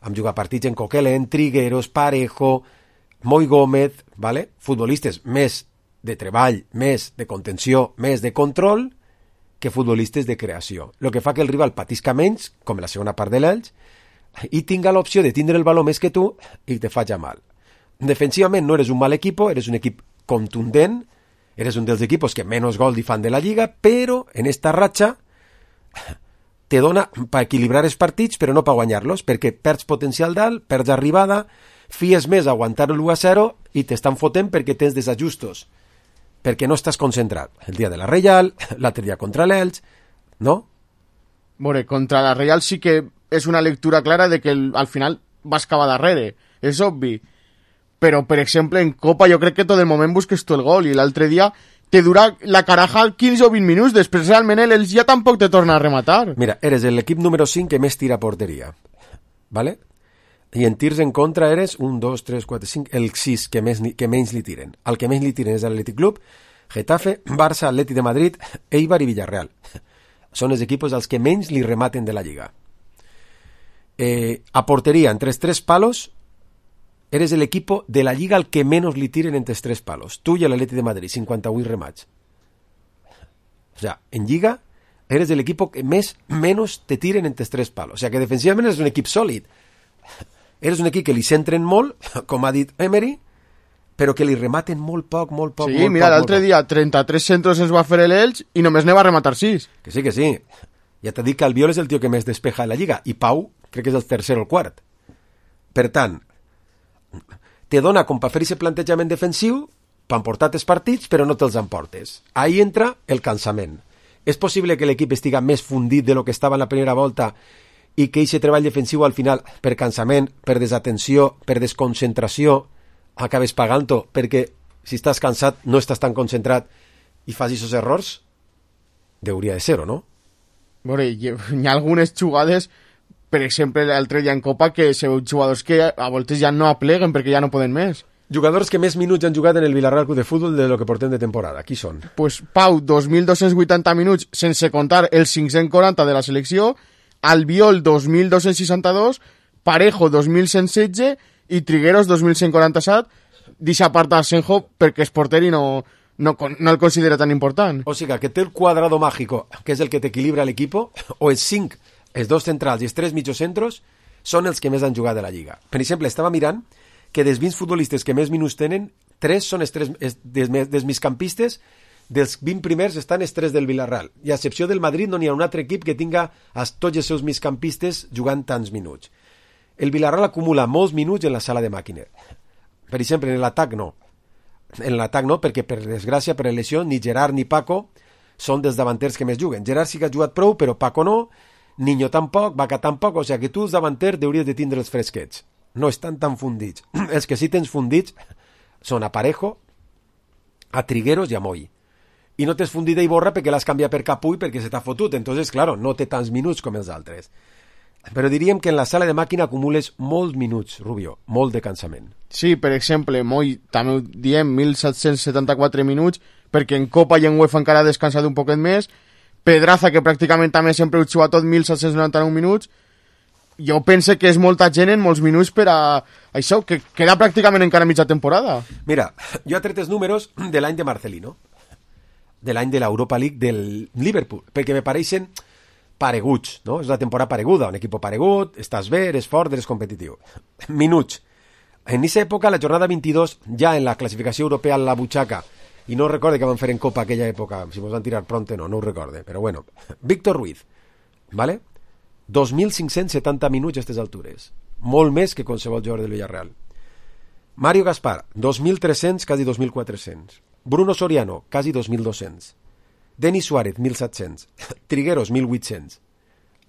hem jugat partits en Coquelin, Trigueros, Parejo, Moi Gómez, ¿vale? Futbolistes més de treball, més de contenció, més de control, que futbolistes de creació. El que fa que el rival patisca menys, com en la segona part de l'Elx, i tinga l'opció de tindre el valor més que tu i te faci mal. Defensivament no eres un mal equip, eres un equip contundent, eres un dels equipos que menys gol li fan de la Lliga, però en esta ratxa te dona per equilibrar els partits, però no per guanyar-los, perquè perds potencial dalt, perds arribada, fies més a aguantar l'1-0 i t'estan fotent perquè tens desajustos, perquè no estàs concentrat. El dia de la Reial, l'altre dia contra l'Elx, no? Bueno, contra la Reial sí que és una lectura clara de que al final vas acabar darrere, és obvi. Però, per exemple, en Copa jo crec que tot el moment busques tu el gol, i l'altre dia te dura la caraja 15 o 20 minuts, després realment ells ja tampoc te torna a rematar. Mira, eres l'equip número 5 que més tira a porteria, ¿vale? I en tirs en contra eres 1, 2, 3, 4, 5, el 6 que menys li tiren. El que menys li tiren és l'Atlètic Club, Getafe, Barça, Atleti de Madrid, Eibar i Villarreal. Són els equipos als que menys li rematen de la Lliga. A porteria, entre els 3 palos, eres el equipo de la Lliga al que menos li tiren entre els 3 palos. Tu i l'Atleti de Madrid, 58 remats. O sea, en Lliga eres el equipo que menos te tiren entre els 3 palos. O sea, que defensivament eres un equip sòlid. Eres un equip que li centren molt, com ha dit Emery, però que li rematen molt poc. Sí, mira, l'altre dia 33 centros ens va fer l'Elx i només ne va rematar 6. Que sí. Ja t'ha dit que Albiol és el tio que més despeja de la Lliga, i Pau crec que és el tercer o el quart. Per tant, te dona com per fer aquest plantejament defensiu, per emportar els partits, però no te'ls emportes. Ahí entra el cansament. És possible que l'equip estiga més fundit de lo que estava en la primera volta i que aquest treball defensiu al final, per cansament, per desatenció, per desconcentració, acabes pagant-ho, perquè si estàs cansat no estàs tan concentrat i fas aquests errors? Deuria de ser, o no? Bueno, hi ha algunes jugades, per exemple, l'altre dia en Copa, que se veu jugadors que a voltes ja no apleguen perquè ja no poden més. Jugadors que més minuts han jugat en el Villarreal Club de Futbol de lo que portem de temporada. Qui són? Pues Pau, 2.280 minuts, sense contar els 540 de la selecció, Albiol, 2.262, Parejo, 2.116 i Trigueros, 2.147, deixa part d'Asenjo perquè és porter i no el considera tan important. O sigui, que té el cuadrado mágico, que és el que t'equilibra l'equip, o els 5, els 2 centrals i els 3 mitjocentros, són els que més han jugat de la Lliga. Per exemple, estava mirant que dels 20 futbolistes que més minuts tenen, 3 són dels migcampistes, dels 20 primers estan els 3 del Villarreal. I a excepció del Madrid no n'hi ha un altre equip que tinga tots els seus migcampistes jugant tants minuts. El Villarreal acumula molts minuts en la sala de màquines. Per exemple, en l'atac no. En l'atac no, perquè per desgràcia, per lesió, ni Gerard ni Paco són dels davanters que més juguen. Gerard sí que ha jugat prou, però Paco no, Niño tampoc, Vaca tampoc, o sigui que tu els davanters hauries de tindre els fresquets. No estan tan fundits. Els que sí tens fundits són a Parejo, a Trigueros i a Moy. I no t'has fundit d'Iborra perquè l'has canviat per Capull perquè se t'ha fotut. Entonces, claro, no té tants minuts com els altres. Però diríem que en la sala de màquina acumules molts minuts, Rubio, molt de cansament. Sí, per exemple, Moy, també ho diem, 1.774 minuts, perquè en Copa i en UEFA encara ha descansat un poquet més. Pedraza, que pràcticament també sempre ho juga tot, 1.799 minuts. Jo pense que és molta gent en molts minuts per a això, que queda pràcticament encara mitja temporada. Mira, jo he tret els números de l'any de Marcelino, de l'any de l'Europa League del Liverpool, perquè me pareixen pareguts, no? És una temporada pareguda, un equip paregut, estàs bé, eres fort, eres competitiu. Minuts. En aquesta època, la jornada 22, ja en la classificació europea a la butxaca, i no recorde que van fer en Copa aquella època, si mos van tirar pronte no ho recorde, però bueno. Víctor Ruiz, ¿vale? 2.570 minuts a aquestes altures. Molt més que qualsevol jugador del Villarreal. Mario Gaspar, 2.300, quasi 2.400. Bruno Soriano, quasi 2.200. Denis Suárez, 1.700. Trigueros, 1.800.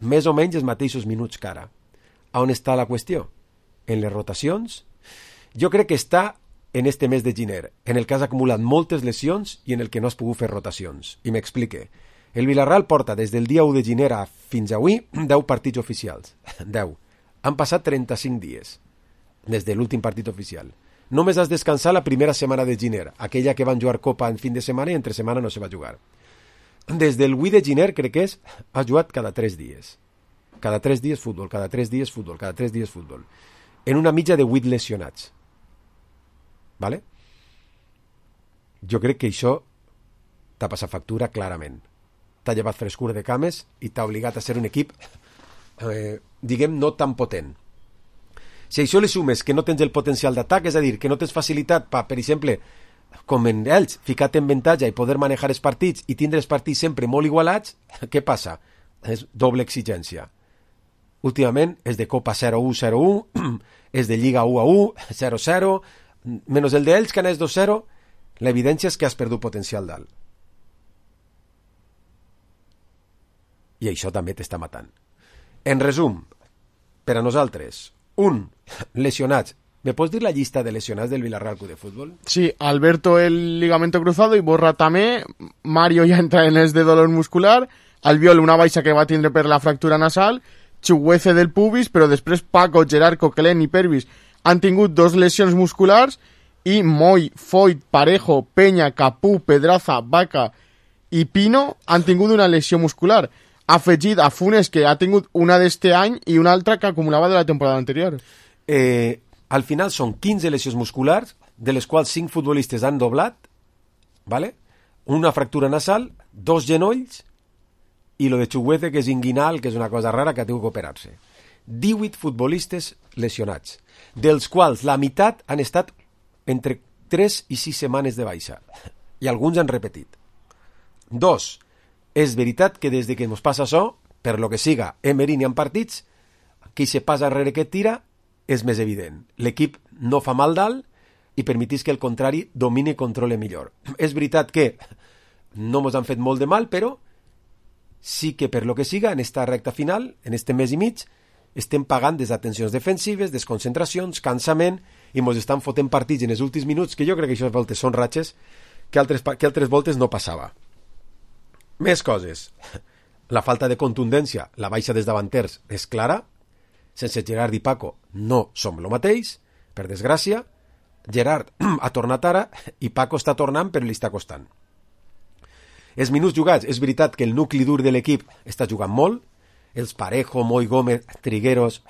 Més o menys els mateixos minuts que ara. A on està la qüestió? En les rotacions? Jo crec que està en este mes de gener, en el que has acumulat moltes lesions i en el que no has pogut fer rotacions. I m'explique. El Villarreal porta des del dia 1 de gener fins avui 10 partits oficials. 10. Han passat 35 dies des de l'últim partit oficial. Només has descansat la primera setmana de gener, aquella que van jugar Copa en fin de setmana i entre setmana no se va jugar. Des del 8 de gener, crec que has jugat cada 3 dies. Cada 3 dies futbol, cada 3 dies futbol, cada 3 dies futbol. En una mitja de 8 lesionats. ¿Vale? Jo crec que això t'ha passat factura clarament. T'ha llevat frescura de cames i t'ha obligat a ser un equip, diguem, no tan potent. Si això li sumes que no tens el potencial d'atac, és a dir, que no tens facilitat per exemple, com en ells, ficar-te en avantatge i poder manejar els partits i tindre els partits sempre molt igualats, què passa? És doble exigència. Últimament és de Copa 0-1, 0-1, és de Lliga 1-1, 0-0, menys el d'ells que anés 2-0, l'evidència és que has perdut potencial dalt. I això també t'està matant. En resum, per a nosaltres, 1. Lesionats ¿Me puedes decir la lista de lesionados del Villarreal Club de Fútbol? Sí, Alberto el ligamento cruzado i Borja també, Mario ja entra en els de dolor muscular, Albiol una baixa que va tindre per la fractura nasal, Chuguece del pubis, però després Paco, Gerard, Coquelin i Pervis han tingut 2 lesions musculars i Moy, Foyt, Parejo, Peña, Capú, Pedraza, Vaca i Pino han tingut una lesió muscular. Afegit a Funes, que ha tingut una d'este any i una altra que acumulava de la temporada anterior. Al final són 15 lesions musculars, de les quals 5 futbolistes han doblat, ¿vale? Una fractura nasal, 2 genolls i lo de Chuguece, que és inguinal, que és una cosa rara, que ha tingut que operar-se. 18 futbolistes lesionats, dels quals la meitat han estat entre 3 i 6 setmanes de baixa, i alguns han repetit. 2. És veritat que des que ens passa això, per lo que siga, Emery n'hi ha partits, qui se passa darrere que tira és més evident. L'equip no fa mal dalt i permetís que el contrari domini i controle millor. És veritat que no ens han fet molt de mal, però sí que per lo que siga, en esta recta final, en este mes i mig, estem pagant desatencions defensives, desconcentracions, cansament, i ens estan fotent partits en els últims minuts, que jo crec que aquestes voltes són ratxes, que altres voltes no passava. Més coses. La falta de contundència, la baixa dels davanters és clara. Sense Gerard i Paco no som el mateix, per desgràcia. Gerard ha tornat ara i Paco està tornant però li està costant. Els minuts jugats, és veritat que el nucli dur de l'equip està jugant molt. Els Parejo, Moy Gómez, Trigueros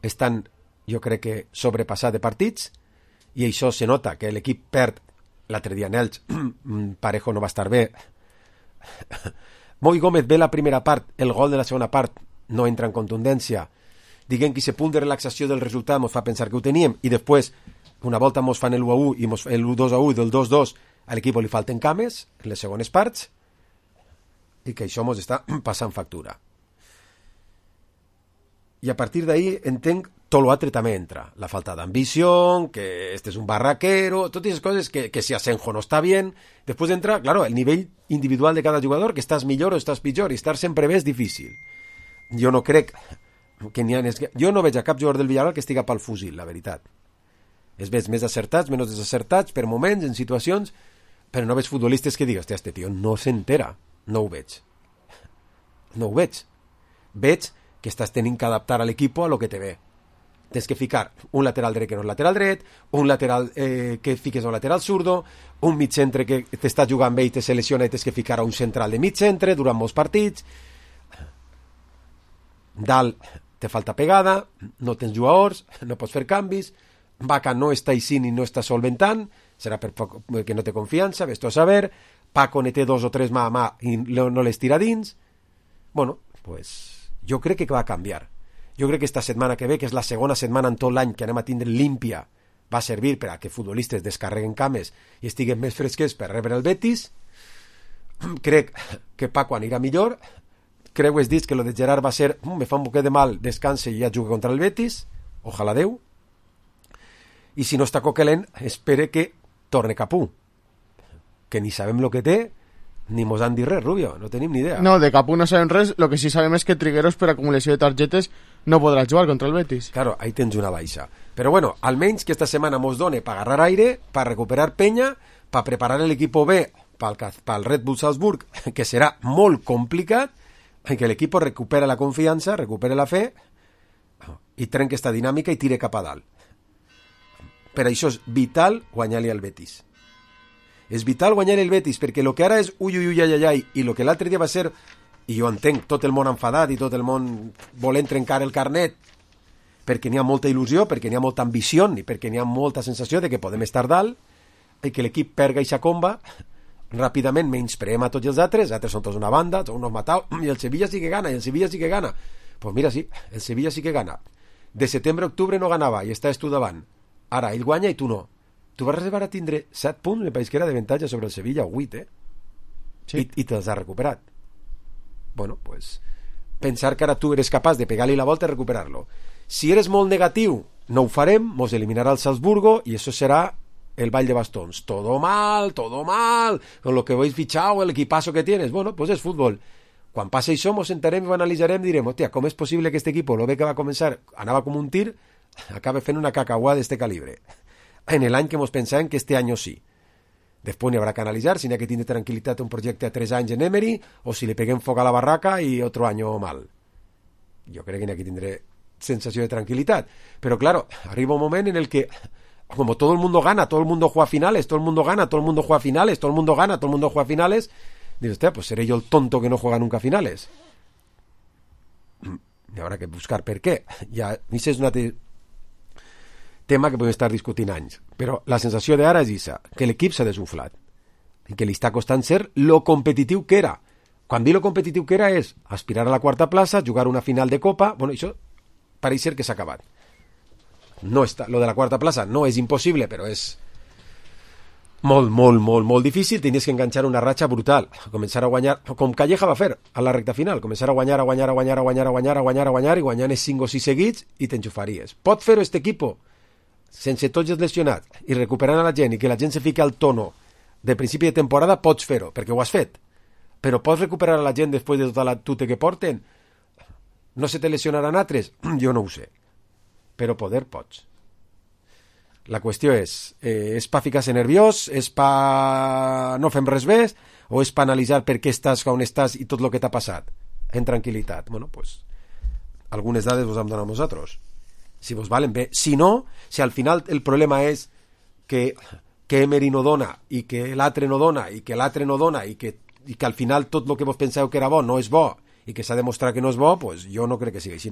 estan, jo crec que, sobrepassats de partits, i això se nota que l'equip perd. L'altre dia en Elx Parejo no va estar bé. Moy Gómez ve la primera part, el gol de la segona part no entra en contundència. Diguem que aquest punt de relaxació del resultat ens fa pensar que ho teníem, i després una volta ens fan el 1-1 i el 2-1 del 2-2 a l'equip li falten cames en les segones parts, i que això ens està passant factura. I a partir d'ahí entenc tot l'altre també entra. La falta d'ambició, que este és un barraquero, totes aquestes coses que si Asenjo no està bien. Després entra, claro, el nivell individual de cada jugador, que estàs millor o estàs pitjor, i estar sempre bé és difícil. Jo no crec que n'hi ha... Jo no veig a cap jugador del Villarreal que estiga pel fusil, la veritat. Es veig més acertats, menys desacertats, per moments, en situacions, però no veig futbolistes que digues, hòstia, este tio no s'entera. No ho veig. No ho veig. Veig que estàs tenint que adaptar a l'equip a lo que te ve. Tens que ficar un lateral dret que no és lateral dret, un lateral que fiques a un lateral zurdo, un mig centre que t'està jugant bé i te selecciona i tens que ficar a un central de mig centre durant molts partits. Dalt te falta pegada, no tens jugadors, no pots fer canvis, Vaca no està eixint i no està solventant, serà perquè no té confiança, ves-t'ho a saber, Paco ne té 2 o 3 mà a mà i no les tira dins. Bueno, pues jo crec que va a canviar. Jo crec que esta setmana que ve, que és la segona setmana en tot l'any que anem a tindre límpia, va servir per a que futbolistes descarreguen cames i estiguen més fresquets per rebre el Betis. Crec que Paco anirà millor. Creu has dit que lo de Gerard va ser me fa un poquet de mal, descanse i ja juga contra el Betis, ojalà Déu. I si no està Coquelin, espere que torne Capú, que ni sabem lo que té ni mos han dit res, Rubio, no tenim ni idea. No, de Capú no sabem res, lo que sí sabem és que Trigueros per acumulació de targetes no podrà jugar contra el Betis. Claro, ahí tens una baixa. Però bueno, almenys que esta setmana mos done per agarrar aire, per recuperar penya, per preparar l'equip B pel Red Bull Salzburg, que serà molt complicat, i que l'equip recupera la confiança, recupera la fe, i trenca esta dinàmica i tire cap a dalt. Per això és vital guanyar-li al Betis. És vital guanyar el Betis, perquè el que ara és ui, i el que l'altre dia va ser, i jo entenc tot el món enfadat i tot el món volent trencar el carnet, perquè n'hi ha molta il·lusió, perquè n'hi ha molta ambició i perquè n'hi ha molta sensació de que podem estar dalt, i que l'equip perga i s'acomba, ràpidament menyspreem a tots els altres són tots una banda, són uns mataus, i el Sevilla sí que gana, Pues mira, sí, el Sevilla sí que gana. De setembre a octubre no ganava i estàs tu davant. Ara, ell guanya i tu no. Tu vas arribar a tindre 7 punts, me pareix que era d'avantatge sobre el Sevilla, 8, Sí. I te'ls has recuperat. Bueno, pues, pensar que ara tu eres capaç de pegar-li la volta i recuperar-lo. Si eres molt negatiu, no ho farem, mos eliminarà el Salzburgo i això serà el ball de bastons. Todo mal, con lo que habéis fichado, el equipazo que tienes. Bueno, pues és futbol. Quan passi això, mos sentarem i ho analitzarem i direm, hòstia, com és possible que este equip, lo bé que va començar, anava com un tir, acabe fent una cacahuada d'este calibre. En l'any que mos pensàvem que este any sí. Després n'hi haurà que analitzar si n'hi ha que tindre tranquil·litat un projecte a 3 anys en Emery o si li peguem foc a la barraca i otro año mal. Jo crec que n'hi ha que tindre sensació de tranquil·litat. Però, claro, arriba un moment en el que, como todo el mundo gana, todo el mundo juega finales, todo el mundo gana, todo el mundo juega finales, todo el mundo gana, todo el mundo juega finales, dices, hostia, pues seré yo el tonto que no juega nunca finales. Y habrá que buscar per què. Ja, això és un altre tema que podem estar discutint anys. Però la sensació d'ara és això, que l'equip s'ha desunflat i que li està costant ser lo competitiu que era. Quan dic lo competitiu que era és aspirar a la quarta plaça, jugar una final de Copa. Bueno, això pareix ser que s'ha acabat. No està, lo de la quarta plaça no és impossible, però és molt difícil. Tenies que enganxar una ratxa brutal, començar a guanyar, com Calleja va fer a la recta final, començar a guanyar i guanyant 5 o 6 seguits i t'enxufaries. Pot fer-ho este equipo sense tots els lesionats i recuperant a la gent i que la gent se fiqui al tono de principi de temporada, pots fer-ho, perquè ho has fet. Però pots recuperar a la gent després de tota la tute que porten? No se te lesionaran altres? Jo no ho sé. Però poder pots. La qüestió és pa ficar-se nerviós, és pa no fem res més, o és pa analitzar per què estàs on estàs i tot el que t'ha passat en tranquil·litat? Bueno, pues algunes dades vos hem donat nosaltres. Si vos valen bé. Si no, si al final el problema és que Emery no dona i que l'altre no dona i que l'altre no dona i que al final tot el que vos penseu que era bo no és bo i que s'ha demostrat que no és bo, pues jo no crec que sigui així.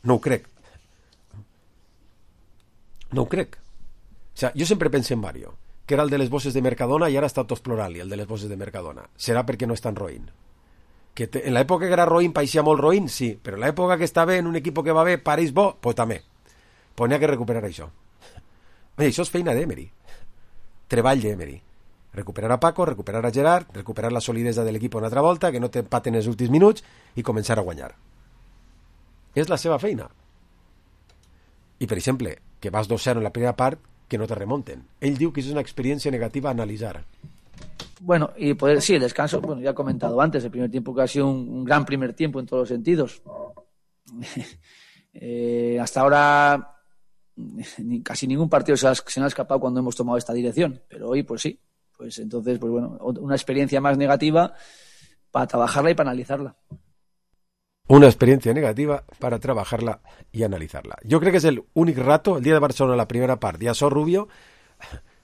No ho crec. No ho crec. O sea, jo sempre penso en Mario, que era el de les bosses de Mercadona i ara està tot explorant-li, el de les bosses de Mercadona. Serà perquè no és tan roïn. Que en l'època que era roïn pareixia molt roïn, sí, però en l'època que està bé en un equip que va bé pareix bo, pues també. Pues n'hi ha que recuperar això. Oye, això és feina d'Emery. Treball d'Emery. Recuperar a Paco, recuperar a Gerard, recuperar la solidesa de l'equip una altra volta, que no t'empaten els últims minuts i començar a guanyar. És la seva feina. I, per exemple, que vas 2-0 en la primera part, que no te remonten. Él diu que es una experiencia negativa a analizar. Bueno, y poder, sí, el descanso, bueno, ya he comentado antes, el primer tiempo que ha sido un gran primer tiempo en todos los sentidos. Hasta ahora casi ningún partido se nos ha escapado cuando hemos tomado esta dirección, pero hoy pues sí, pues entonces, pues bueno, una experiencia más negativa para trabajarla y para analizarla. Una experiencia negativa para trabajarla y analizarla. Yo creo que es el único rato, el día de Barcelona, la primera part, ja sóc Rubio,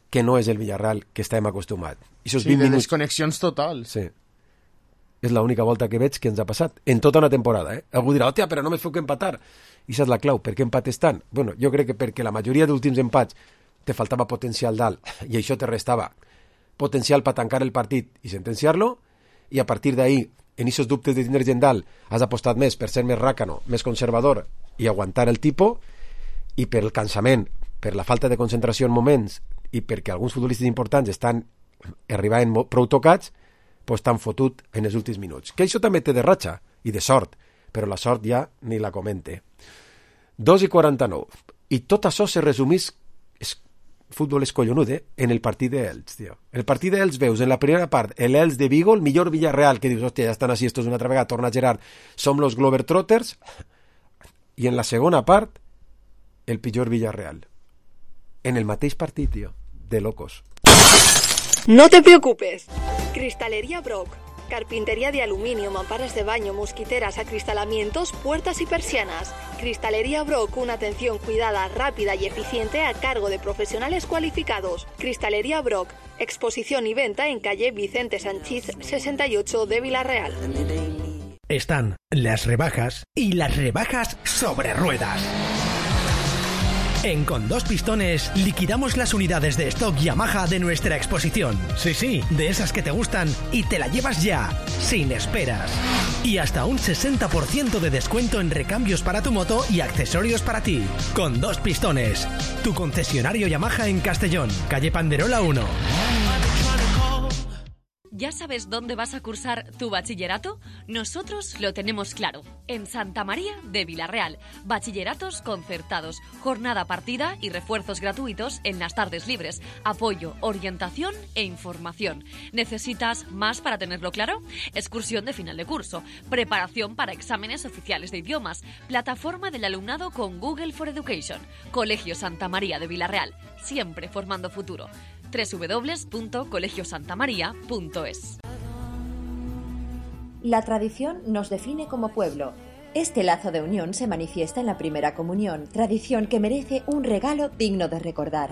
que no és el Villarreal que estàvem acostumats. Sí, de desconnexions totals. Sí. És l'única volta que veig que ens ha passat en tota una temporada. Algú dirà, hòstia, però només feu que empatar. I això és la clau. Per què empates tant? Bueno, jo crec que perquè la majoria d'últims empats te faltava potencial dalt i això te restava potencial per tancar el partit i sentenciar-lo, i a partir d'ahí, en aquests dubtes de tindre gent dalt, has apostat més per ser més ràcano, més conservador i aguantar el tipus, i per el cansament, per la falta de concentració en moments i perquè alguns futbolistes importants estan arribant prou tocats, pues t'han fotut en els últims minuts. Que això també té de ratxa i de sort, però la sort ja ni la comente. 2:49. I tot això se resumís, futbol és collonut, en el partit d'Elx, tio. El partit d'Elx veus en la primera part l'Elx de Vigo, el millor Villarreal, que dius, hòstia, ja estan així, esto és una altra vegada, torna Gerard, som los Globetrotters, i en la segona part el pitjor Villarreal. En el mateix partit, tio, de locos. No te preocupes. Cristalería Brock. Carpintería de aluminio, mamparas de baño, mosquiteras, acristalamientos, puertas y persianas. Cristalería Brock, una atención cuidada, rápida y eficiente a cargo de profesionales cualificados. Cristalería Brock, exposición y venta en calle Vicente Sanchís 68 de Villarreal. Están las rebajas y las rebajas sobre ruedas. En Con Dos Pistones liquidamos las unidades de stock Yamaha de nuestra exposición. Sí, de esas que te gustan y te la llevas ya, sin esperas. Y hasta un 60% de descuento en recambios para tu moto y accesorios para ti. Con Dos Pistones, tu concesionario Yamaha en Castellón, calle Panderola 1. ¿Ya sabes dónde vas a cursar tu bachillerato? Nosotros lo tenemos claro. En Santa María de Vilarreal. Bachilleratos concertados, jornada partida y refuerzos gratuitos en las tardes libres. Apoyo, orientación e información. ¿Necesitas más para tenerlo claro? Excursión de final de curso. Preparación para exámenes oficiales de idiomas. Plataforma del alumnado con Google for Education. Colegio Santa María de Vilarreal. Siempre formando futuro. www.colegiosantamaria.es. La tradición nos define como pueblo. Este lazo de unión se manifiesta en la primera comunión, tradición que merece un regalo digno de recordar.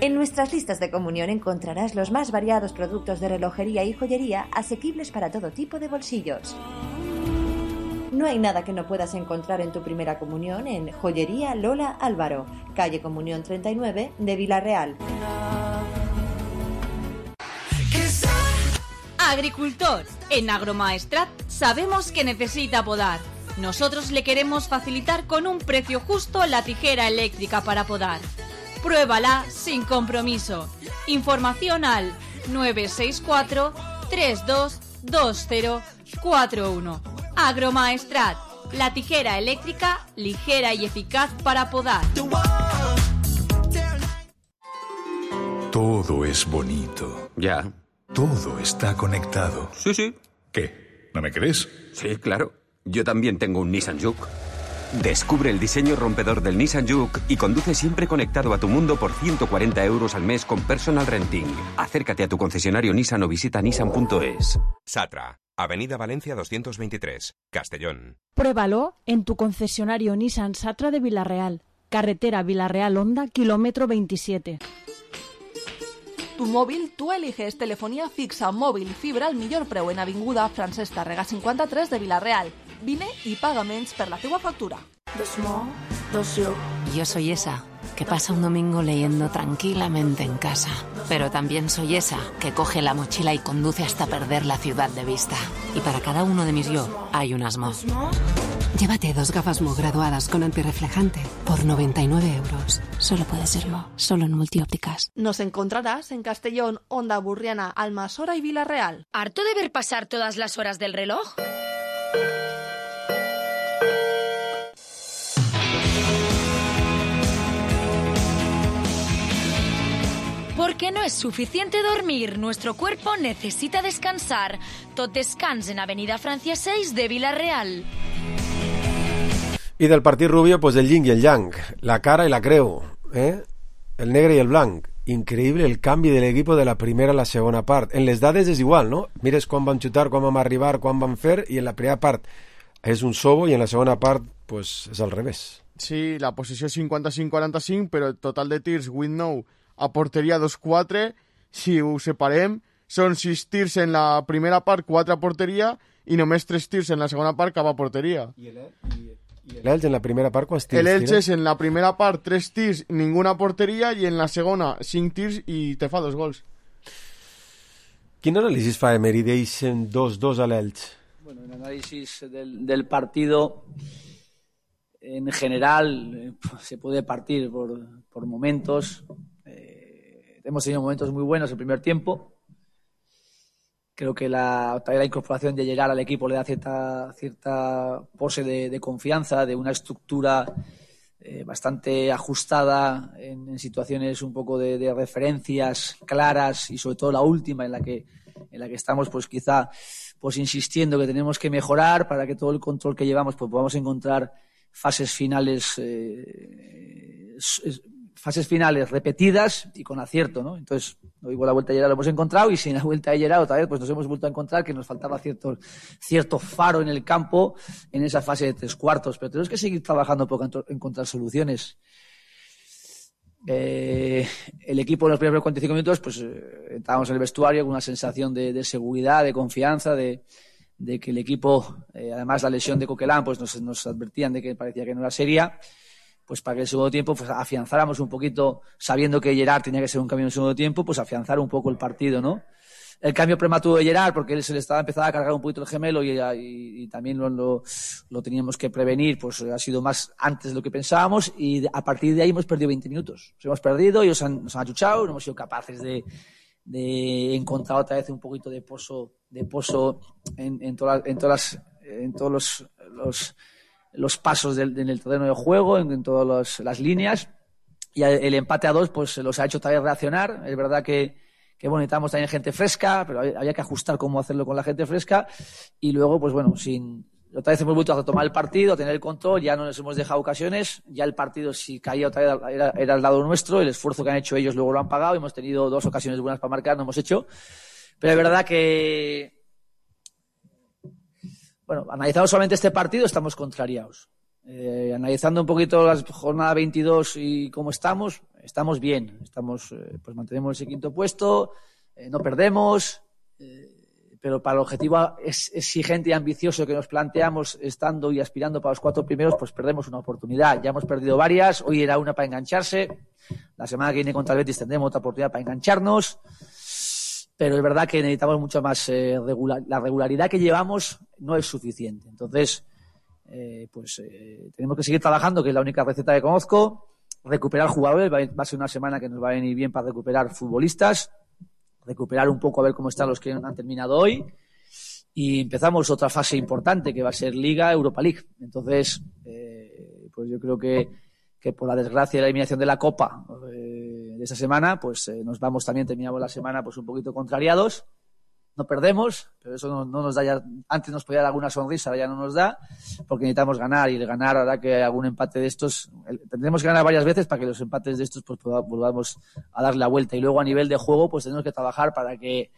En nuestras listas de comunión encontrarás los más variados productos de relojería y joyería asequibles para todo tipo de bolsillos. No hay nada que no puedas encontrar en tu primera comunión en Joyería Lola Álvaro, calle Comunión 39 de Vilarreal. Agricultor, en Agromaestrat sabemos que necesita podar. Nosotros le queremos facilitar con un precio justo la tijera eléctrica para podar. Pruébala sin compromiso. Información al 964 322041. Agromaestrat, la tijera eléctrica ligera y eficaz para podar. Todo es bonito. Ya. Todo está conectado. Sí. ¿Qué? ¿No me crees? Sí, claro. Yo también tengo un Nissan Juke. Descubre el diseño rompedor del Nissan Juke y conduce siempre conectado a tu mundo por 140 € al mes con personal renting. Acércate a tu concesionario Nissan o visita nissan.es. Satra, Avenida Valencia 223, Castellón. Pruébalo en tu concesionario Nissan Satra de Vilarreal. Carretera Vilarreal-Honda, kilómetro 27. Tu mòbil, tu eliges telefonia fixa, mòbil, fibra al millor preu en Avinguda Francesc Tàrrega 53 de Vilarreal. Vine y paga menys per la teua factura. Yo soy esa que pasa un domingo leyendo tranquilamente en casa. Pero también soy esa que coge la mochila y conduce hasta perder la ciudad de vista. Y para cada uno de mis yo hay un Asmo. Llévate 2 gafas Mo graduadas con antirreflejante por 99 €. Solo puede ser Mo, solo en Multiópticas. Nos encontrarás en Castellón, Onda Burriana, Almasora y Vilarreal. ¿Harto de ver pasar todas las horas del reloj? Porque no es suficiente dormir, nuestro cuerpo necesita descansar. Tot descans en Avenida Francia 6 de Vilarreal. Y del partit Rubio, pues el yin y el yang, la cara y la creu, el negre y el blanc. Increïble el canvi de l'equip de la primera a la segona part. En les dades és igual, no? Mires quan van xutar, quan vam arribar, quan van fer, i en la primera part és un sobo i en la segona part pues, és al revés. Sí, la posició és 55-45, però el total de tirs, 8-9, a porteria 2-4, si ho separem, són 6 tirs en la primera part, 4 a porteria, i només 3 tirs en la segona part cap a porteria. I l'Elx en la primera part quants tirs? L'Elx és en la primera part 3 tirs, ninguna porteria, i en la segona 5 tirs i te fa 2 gols. Quin anàlisi fa Emery d'eixen 2-2 a l'Elx? Bueno, el análisis del partido en general se puede partir por momentos. Hemos tenido momentos muy buenos el primer tiempo. Creo que la incorporación de Gerard al equipo le da cierta pose de confianza, de una estructura bastante ajustada en situaciones un poco de referencias claras, y sobre todo la última en la que estamos pues quizá pues insistiendo que tenemos que mejorar para que todo el control que llevamos pues podamos encontrar fases finales repetidas y con acierto, ¿no? Entonces, hoy con la vuelta de Gerard lo hemos encontrado, y sin la vuelta de Gerard otra vez pues nos hemos vuelto a encontrar que nos faltaba cierto faro en el campo en esa fase de 3 cuartos, pero tenemos que seguir trabajando por encontrar soluciones. El equipo en los primeros 45 minutos pues entrábamos en el vestuario con una sensación de seguridad, de confianza, de que el equipo, además la lesión de Coquelin pues nos advertían de que parecía que no era seria, pues para que el segundo tiempo pues afianzáramos un poquito, sabiendo que Gerard tenía que ser un cambio en el segundo tiempo, pues afianzar un poco el partido, ¿no? El cambio prematuro de Gerard, porque él se le estaba empezando a cargar un poquito el gemelo y también lo teníamos que prevenir, pues ha sido más antes de lo que pensábamos, y a partir de ahí hemos perdido 20 minutos. Nos hemos perdido, ellos nos han achuchado, no hemos sido capaces de de encontrar otra vez un poquito de pozo en todos los pasos en el terreno de juego, en todas las líneas. Y el empate a 2 pues los ha hecho otra vez reaccionar. Es verdad que bueno, necesitamos también gente fresca, pero había que ajustar cómo hacerlo con la gente fresca. Y luego, pues bueno, otra vez hemos vuelto a retomar el partido, a tener el control, ya no nos hemos dejado ocasiones, ya el partido si caía otra vez era al lado nuestro, el esfuerzo que han hecho ellos luego lo han pagado, hemos tenido 2 ocasiones buenas para marcar, no hemos hecho. Pero es verdad que, bueno, analizando solamente este partido estamos contrariados. Analizando un poquito la jornada 22 y cómo estamos bien, pues mantenemos ese 5º puesto, no perdemos, pero para el objetivo exigente y ambicioso que nos planteamos estando y aspirando para los 4 primeros, pues perdemos una oportunidad. Ya hemos perdido varias, hoy era una para engancharse, la semana que viene contra el Betis tendremos otra oportunidad para engancharnos, pero es verdad que necesitamos mucho más la regularidad que llevamos no es suficiente. Entonces, tenemos que seguir trabajando, que es la única receta que conozco, recuperar jugadores, va a ser una semana que nos va a venir bien para recuperar futbolistas, recuperar un poco a ver cómo están los que han terminado hoy, y empezamos otra fase importante que va a ser Liga, Europa League. Entonces, pues yo creo que por la desgracia de la eliminación de la Copa de esta semana, pues terminamos la semana pues un poquito contrariados. No perdemos, pero eso no nos da ya. Antes nos podía dar alguna sonrisa, ahora ya no nos da, porque necesitamos ganar, y el ganar hará que algún empate de estos, tendremos que ganar varias veces para que los empates de estos pues volvamos a darle la vuelta. Y luego a nivel de juego pues tenemos que trabajar para que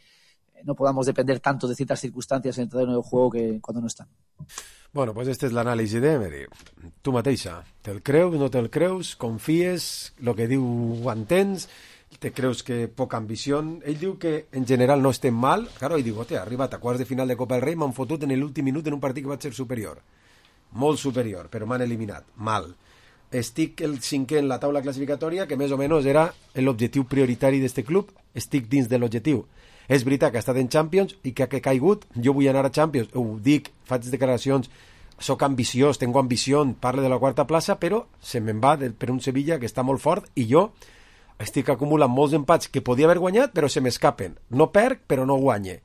no podamos depender tanto de ciertas circunstancias en el terreno de juego que cuando no están. Bueno, pues este és l'anàlisi d'Emery. Tu mateixa, te'l creus, no te'l creus, confies, el que diu ho entens, te creus que poca ambició. Ell diu que en general no estem mal. Claro, ell diu, ha arribat a quarts de final de Copa del Rei, m'han fotut en l'últim minut en un partit que va ser superior. Molt superior, però m'han eliminat. Mal. Estic el 5è en la taula classificatòria, que més o menys era l'objectiu prioritari d'este club. Estic dins de l'objectiu. És veritat que ha estat en Champions i que ha caigut. Jo vull anar a Champions, ho dic, faig declaracions, soc ambiciós, tengo ambició, parlo de la 4ª plaça, però se me'n va per un Sevilla que està molt fort i jo estic acumulant molts empats que podia haver guanyat, però se m'escapen. No perc, però no guanye.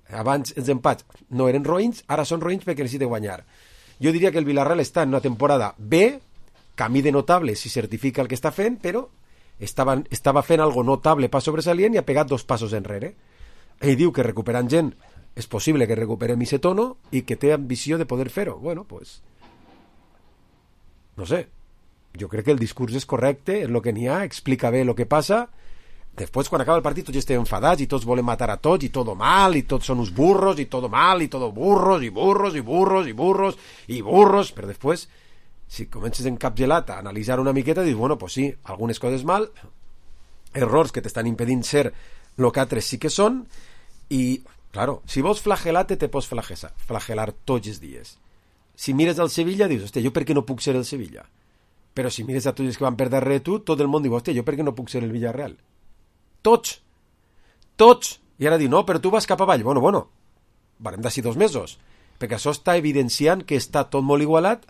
Abans els empats no eren roïns, ara són roïns perquè necessito guanyar. Jo diria que el Villarreal està en una temporada B, camí de notable si certifica el que està fent, però estava fent algo notable pas sobresalient i ha pegat 2 passos enrere. Ell diu que recuperant gent és possible que recuperem ese tono i que té ambició de poder fer-ho. Bueno, pues no sé, jo crec que el discurs és correcte, és el que n'hi ha, explica bé el que passa. Després, quan acaba el partit, tots estem enfadats i tots volen matar a tots i tot mal, i tots són uns burros i tot mal, i tot burros i burros i burros i burros i burros, però després, si comences encapgelat a analitzar una miqueta, dius, bueno, pues sí, algunes coses mal, errors que t'estan impedint ser el que altres sí que són, i, claro, si vols flagelar-te, te pots flagelar tots els dies. Si mires al Sevilla, dius, hòstia, jo per què no puc ser el Sevilla? Però si mires a tots els que van per darrere tu, tot el món diu, hòstia, jo per què no puc ser el Villarreal? Tots! I ara diu, no, però tu vas cap avall. Bueno, varem d'ací 2 mesos, perquè això està evidenciant que està tot molt igualat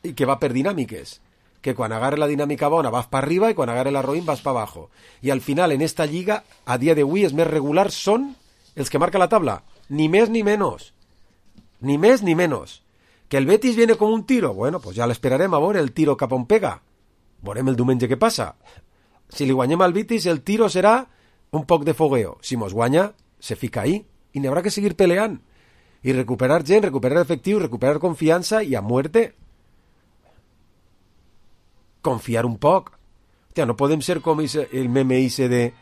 i que va per dinàmiques, que quan agarre la dinàmica bona vas per arriba i quan agarre la roïn vas per abajo. I al final, en esta lliga, a dia d'avui, els més regulars són els que marca la tabla. Ni més ni menys. Ni més ni menys. Que el Betis viene com un tiro. Bueno, pues ja l'esperarem a veure el tiro cap on pega. Veurem el diumenge què passa. Si li guanyem al Betis, el tiro serà un poc de fogueo. Si mos guanya, se fica ahí. I n'hi haurà que seguir peleant. I recuperar gent, recuperar efectiu, recuperar confiança i a muerte. Confiar un poc. Hòstia, no podem ser com el meme ese de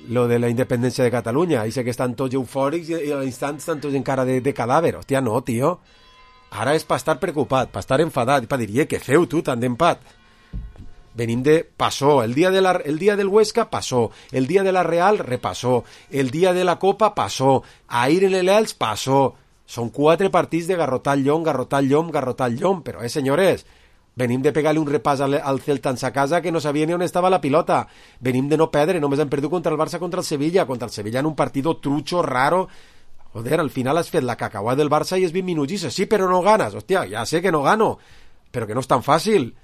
lo de la independència de Catalunya. Ese que estan tots eufòrics i a l'instant estan tots encara de cadàver. Hòstia, no, tio. Ara és per estar preocupat, per estar enfadat, per dir, què feu tu tant d'empat? Venim de passó, el dia del Huesca passó, el dia de la Real repassó, el dia de la Copa passó, ahir en l'Elx passó. Són 4 partits de garrotar el llom, però senyores, venim de pegar-li un repàs al Celta en sa casa que no sabia ni on estava la pilota, venim de no perdre, només hem perdut contra el Barça, contra el Sevilla en un partido trucho, raro. Joder, al final has fet la cacauà del Barça i és 20 minuts i dices, sí, però no ganes. Hòstia, ja sé que no gano, però que no és tan fàcil.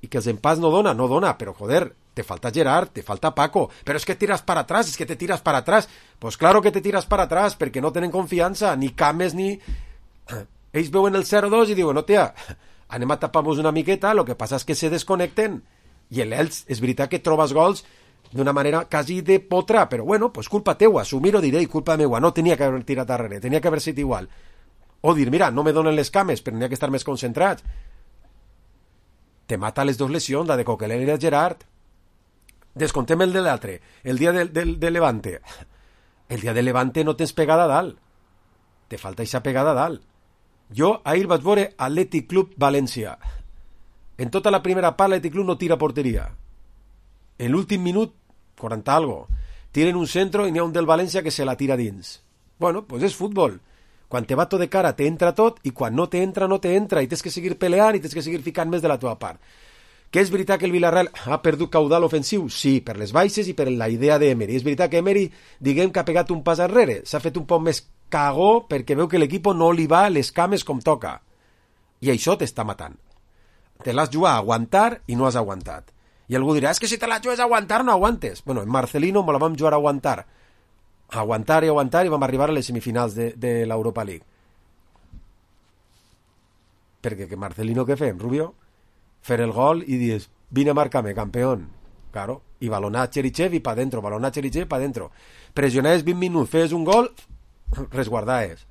I que els empats no dona, però joder, te falta Gerard, te falta Paco, però és que tiras para atrás, és que te tiras para atrás. Pues claro que te tiras para atrás, perquè no tenen confiança, ni Cames ni... Ells veuen el 0-2 i diuen, no, tia, anem a tapar-nos una miqueta, lo que passa és que se desconnecten. I l'Elx, és veritat que trobes gols d'una manera quasi de potra, però bueno, pues culpa teua, assumir-ho diré, culpa meua, no tenia que haver tirat darrere, tenia que haver sigut igual. O dir, mira, no me donen les cames, però n'hi ha que estar més concentrats. Te mata les dues lesions, la de Coquelin i la de Gerard. Descontem el de l'altre, el dia de Levante. El dia de Levante no tens pegada a dalt. Te falta aquesta pegada a dalt. Jo ahir vaig veure Athletic Club València. En tota la primera part l'Athletic Club no tira porteria. En l'últim minut, 40 algo, tiren un centro i n'hi ha un del València que se la tira dins. Bueno, pues és futbol. Quan te va tot de cara te entra tot i quan no te entra, no te entra i tens que seguir peleant i tens que seguir ficant més de la teva part. Que és veritat que el Villarreal ha perdut caudal ofensiu? Sí, per les baixes i per la idea d'Emery. És veritat que Emery, diguem que ha pegat un pas enrere, s'ha fet un poc més cagó perquè veu que l'equip no li va les cames com toca. I això t'està matant. Te l'has jugat a aguantar i no has aguantat. I algú dirà, és que si te la jugues a aguantar no aguantes. Bueno, en Marcelino me la vam jugar a aguantar. Aguantar i aguantar i vam arribar a les semifinals de l'Europa League. Perquè que Marcelino què fem, Rubio? Fer el gol i dius, vine a marcar-me, campeón. Claro, i balonar Cherichev i pa dentro, balonar Cherichev pa dentro. Pressionaves 20 minuts, fes un gol, resguardaves.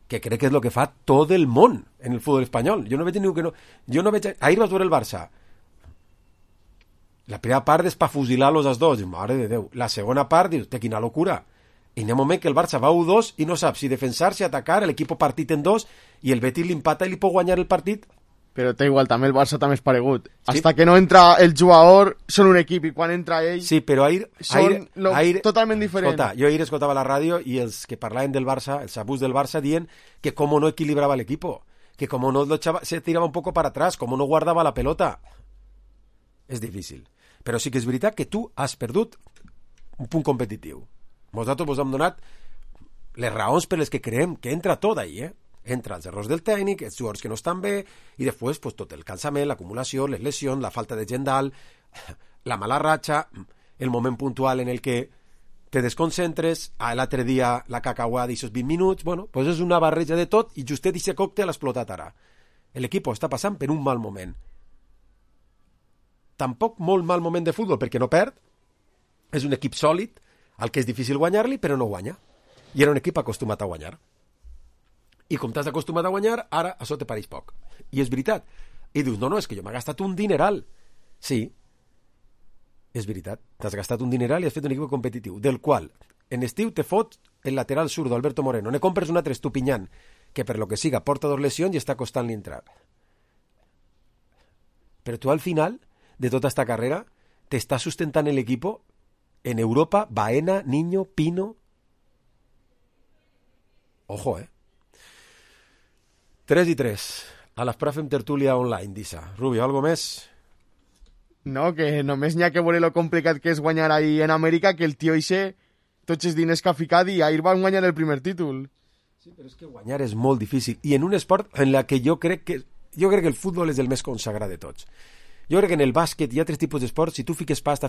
Que crec que és el que fa tot el món en el futbol espanyol. Jo no veig ningú que no... Jo no veig... Ahir vas veure el Barça. La primera part és pa fusilar-los els dos. Mare de Déu. La segona part, dius, té quina locura. I hi ha un moment que el Barça va 1-2 i no sap si defensar, si atacar, l'equip partit en dos i el Betis l'empata i li pot guanyar el partit. Però té igual, també el Barça també és paregut. Sí? Hasta que no entra el jugador, són un equip, i quan entra ell... Sí, però ahir... totalment diferent. Escolta, jo ahir escoltava la ràdio i els que parlaven del Barça, els abús del Barça, dient que com no equilibrava l'equip, que com no se tirava un poco para atrás, com no guardava la pelota. És difícil. Però sí que és veritat que tu has perdut un punt competitiu. Nosaltres vos hem donat les raons per les que creiem que entra tot ahí, Entra els errors del tècnic, els jugadors que no estan bé, i després pues, tot el cansament, l'acumulació, les lesions, la falta de gent dalt, la mala ratxa, el moment puntual en el que te desconcentres, l'altre dia la cacauada d'aquests 20 minuts, bueno, pues és una barreja de tot, i justet aquest còctel ha explotat ara. L'equip està passant per un mal moment. Tampoc molt mal moment de futbol, perquè no perd, és un equip sòlid, al que és difícil guanyar-li, però no guanya. I era un equip acostumat a guanyar. I com t'has acostumat a guanyar, ara això te pareix poc. I és veritat. I dius, no, és que jo m'he gastat un dineral. Sí, és veritat. T'has gastat un dineral i has fet un equip competitiu, del qual en estiu te fot el lateral zurdo, Alberto Moreno. Ne compres un altre Estupiñán, que per lo que siga porta 2 lesions i està costant-li entrar. Però tu al final de tota esta carrera t'estàs sustentant l'equip en Europa, Baena, Niño, Pino... Ojo, 3-3. A l'Espra fem tertúlia online, Dissa. Rubio, algo més? No, que només n'hi ha que veure lo complicat que és guanyar ahir en Amèrica, que el tio ixe, tots els diners que ha ficat i ahir van guanyar el primer títol. Sí, però és que guanyar és molt difícil. I en un esport en la que jo crec que el futbol és el més consagrat de tots. Jo crec que en el bàsquet hi ha 3 tipus d'esports. Si tu fiques pasta,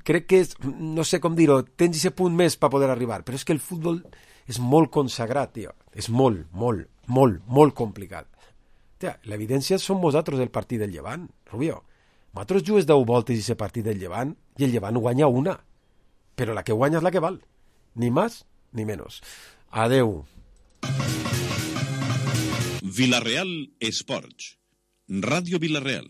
crec que és, no sé com dir-ho, tens aquest punt més per poder arribar, però és que el futbol és molt consagrat, tio. És molt, molt, molt, molt complicat. Tia, l'evidència són vosaltres del partit del Llevant, Rubio. Vosaltres jugues 10 voltes i aquest partit del Llevant i el Llevant guanya una. Però la que guanya és la que val. Ni més ni menys. Adeu. Villarreal Esports. Ràdio Villarreal.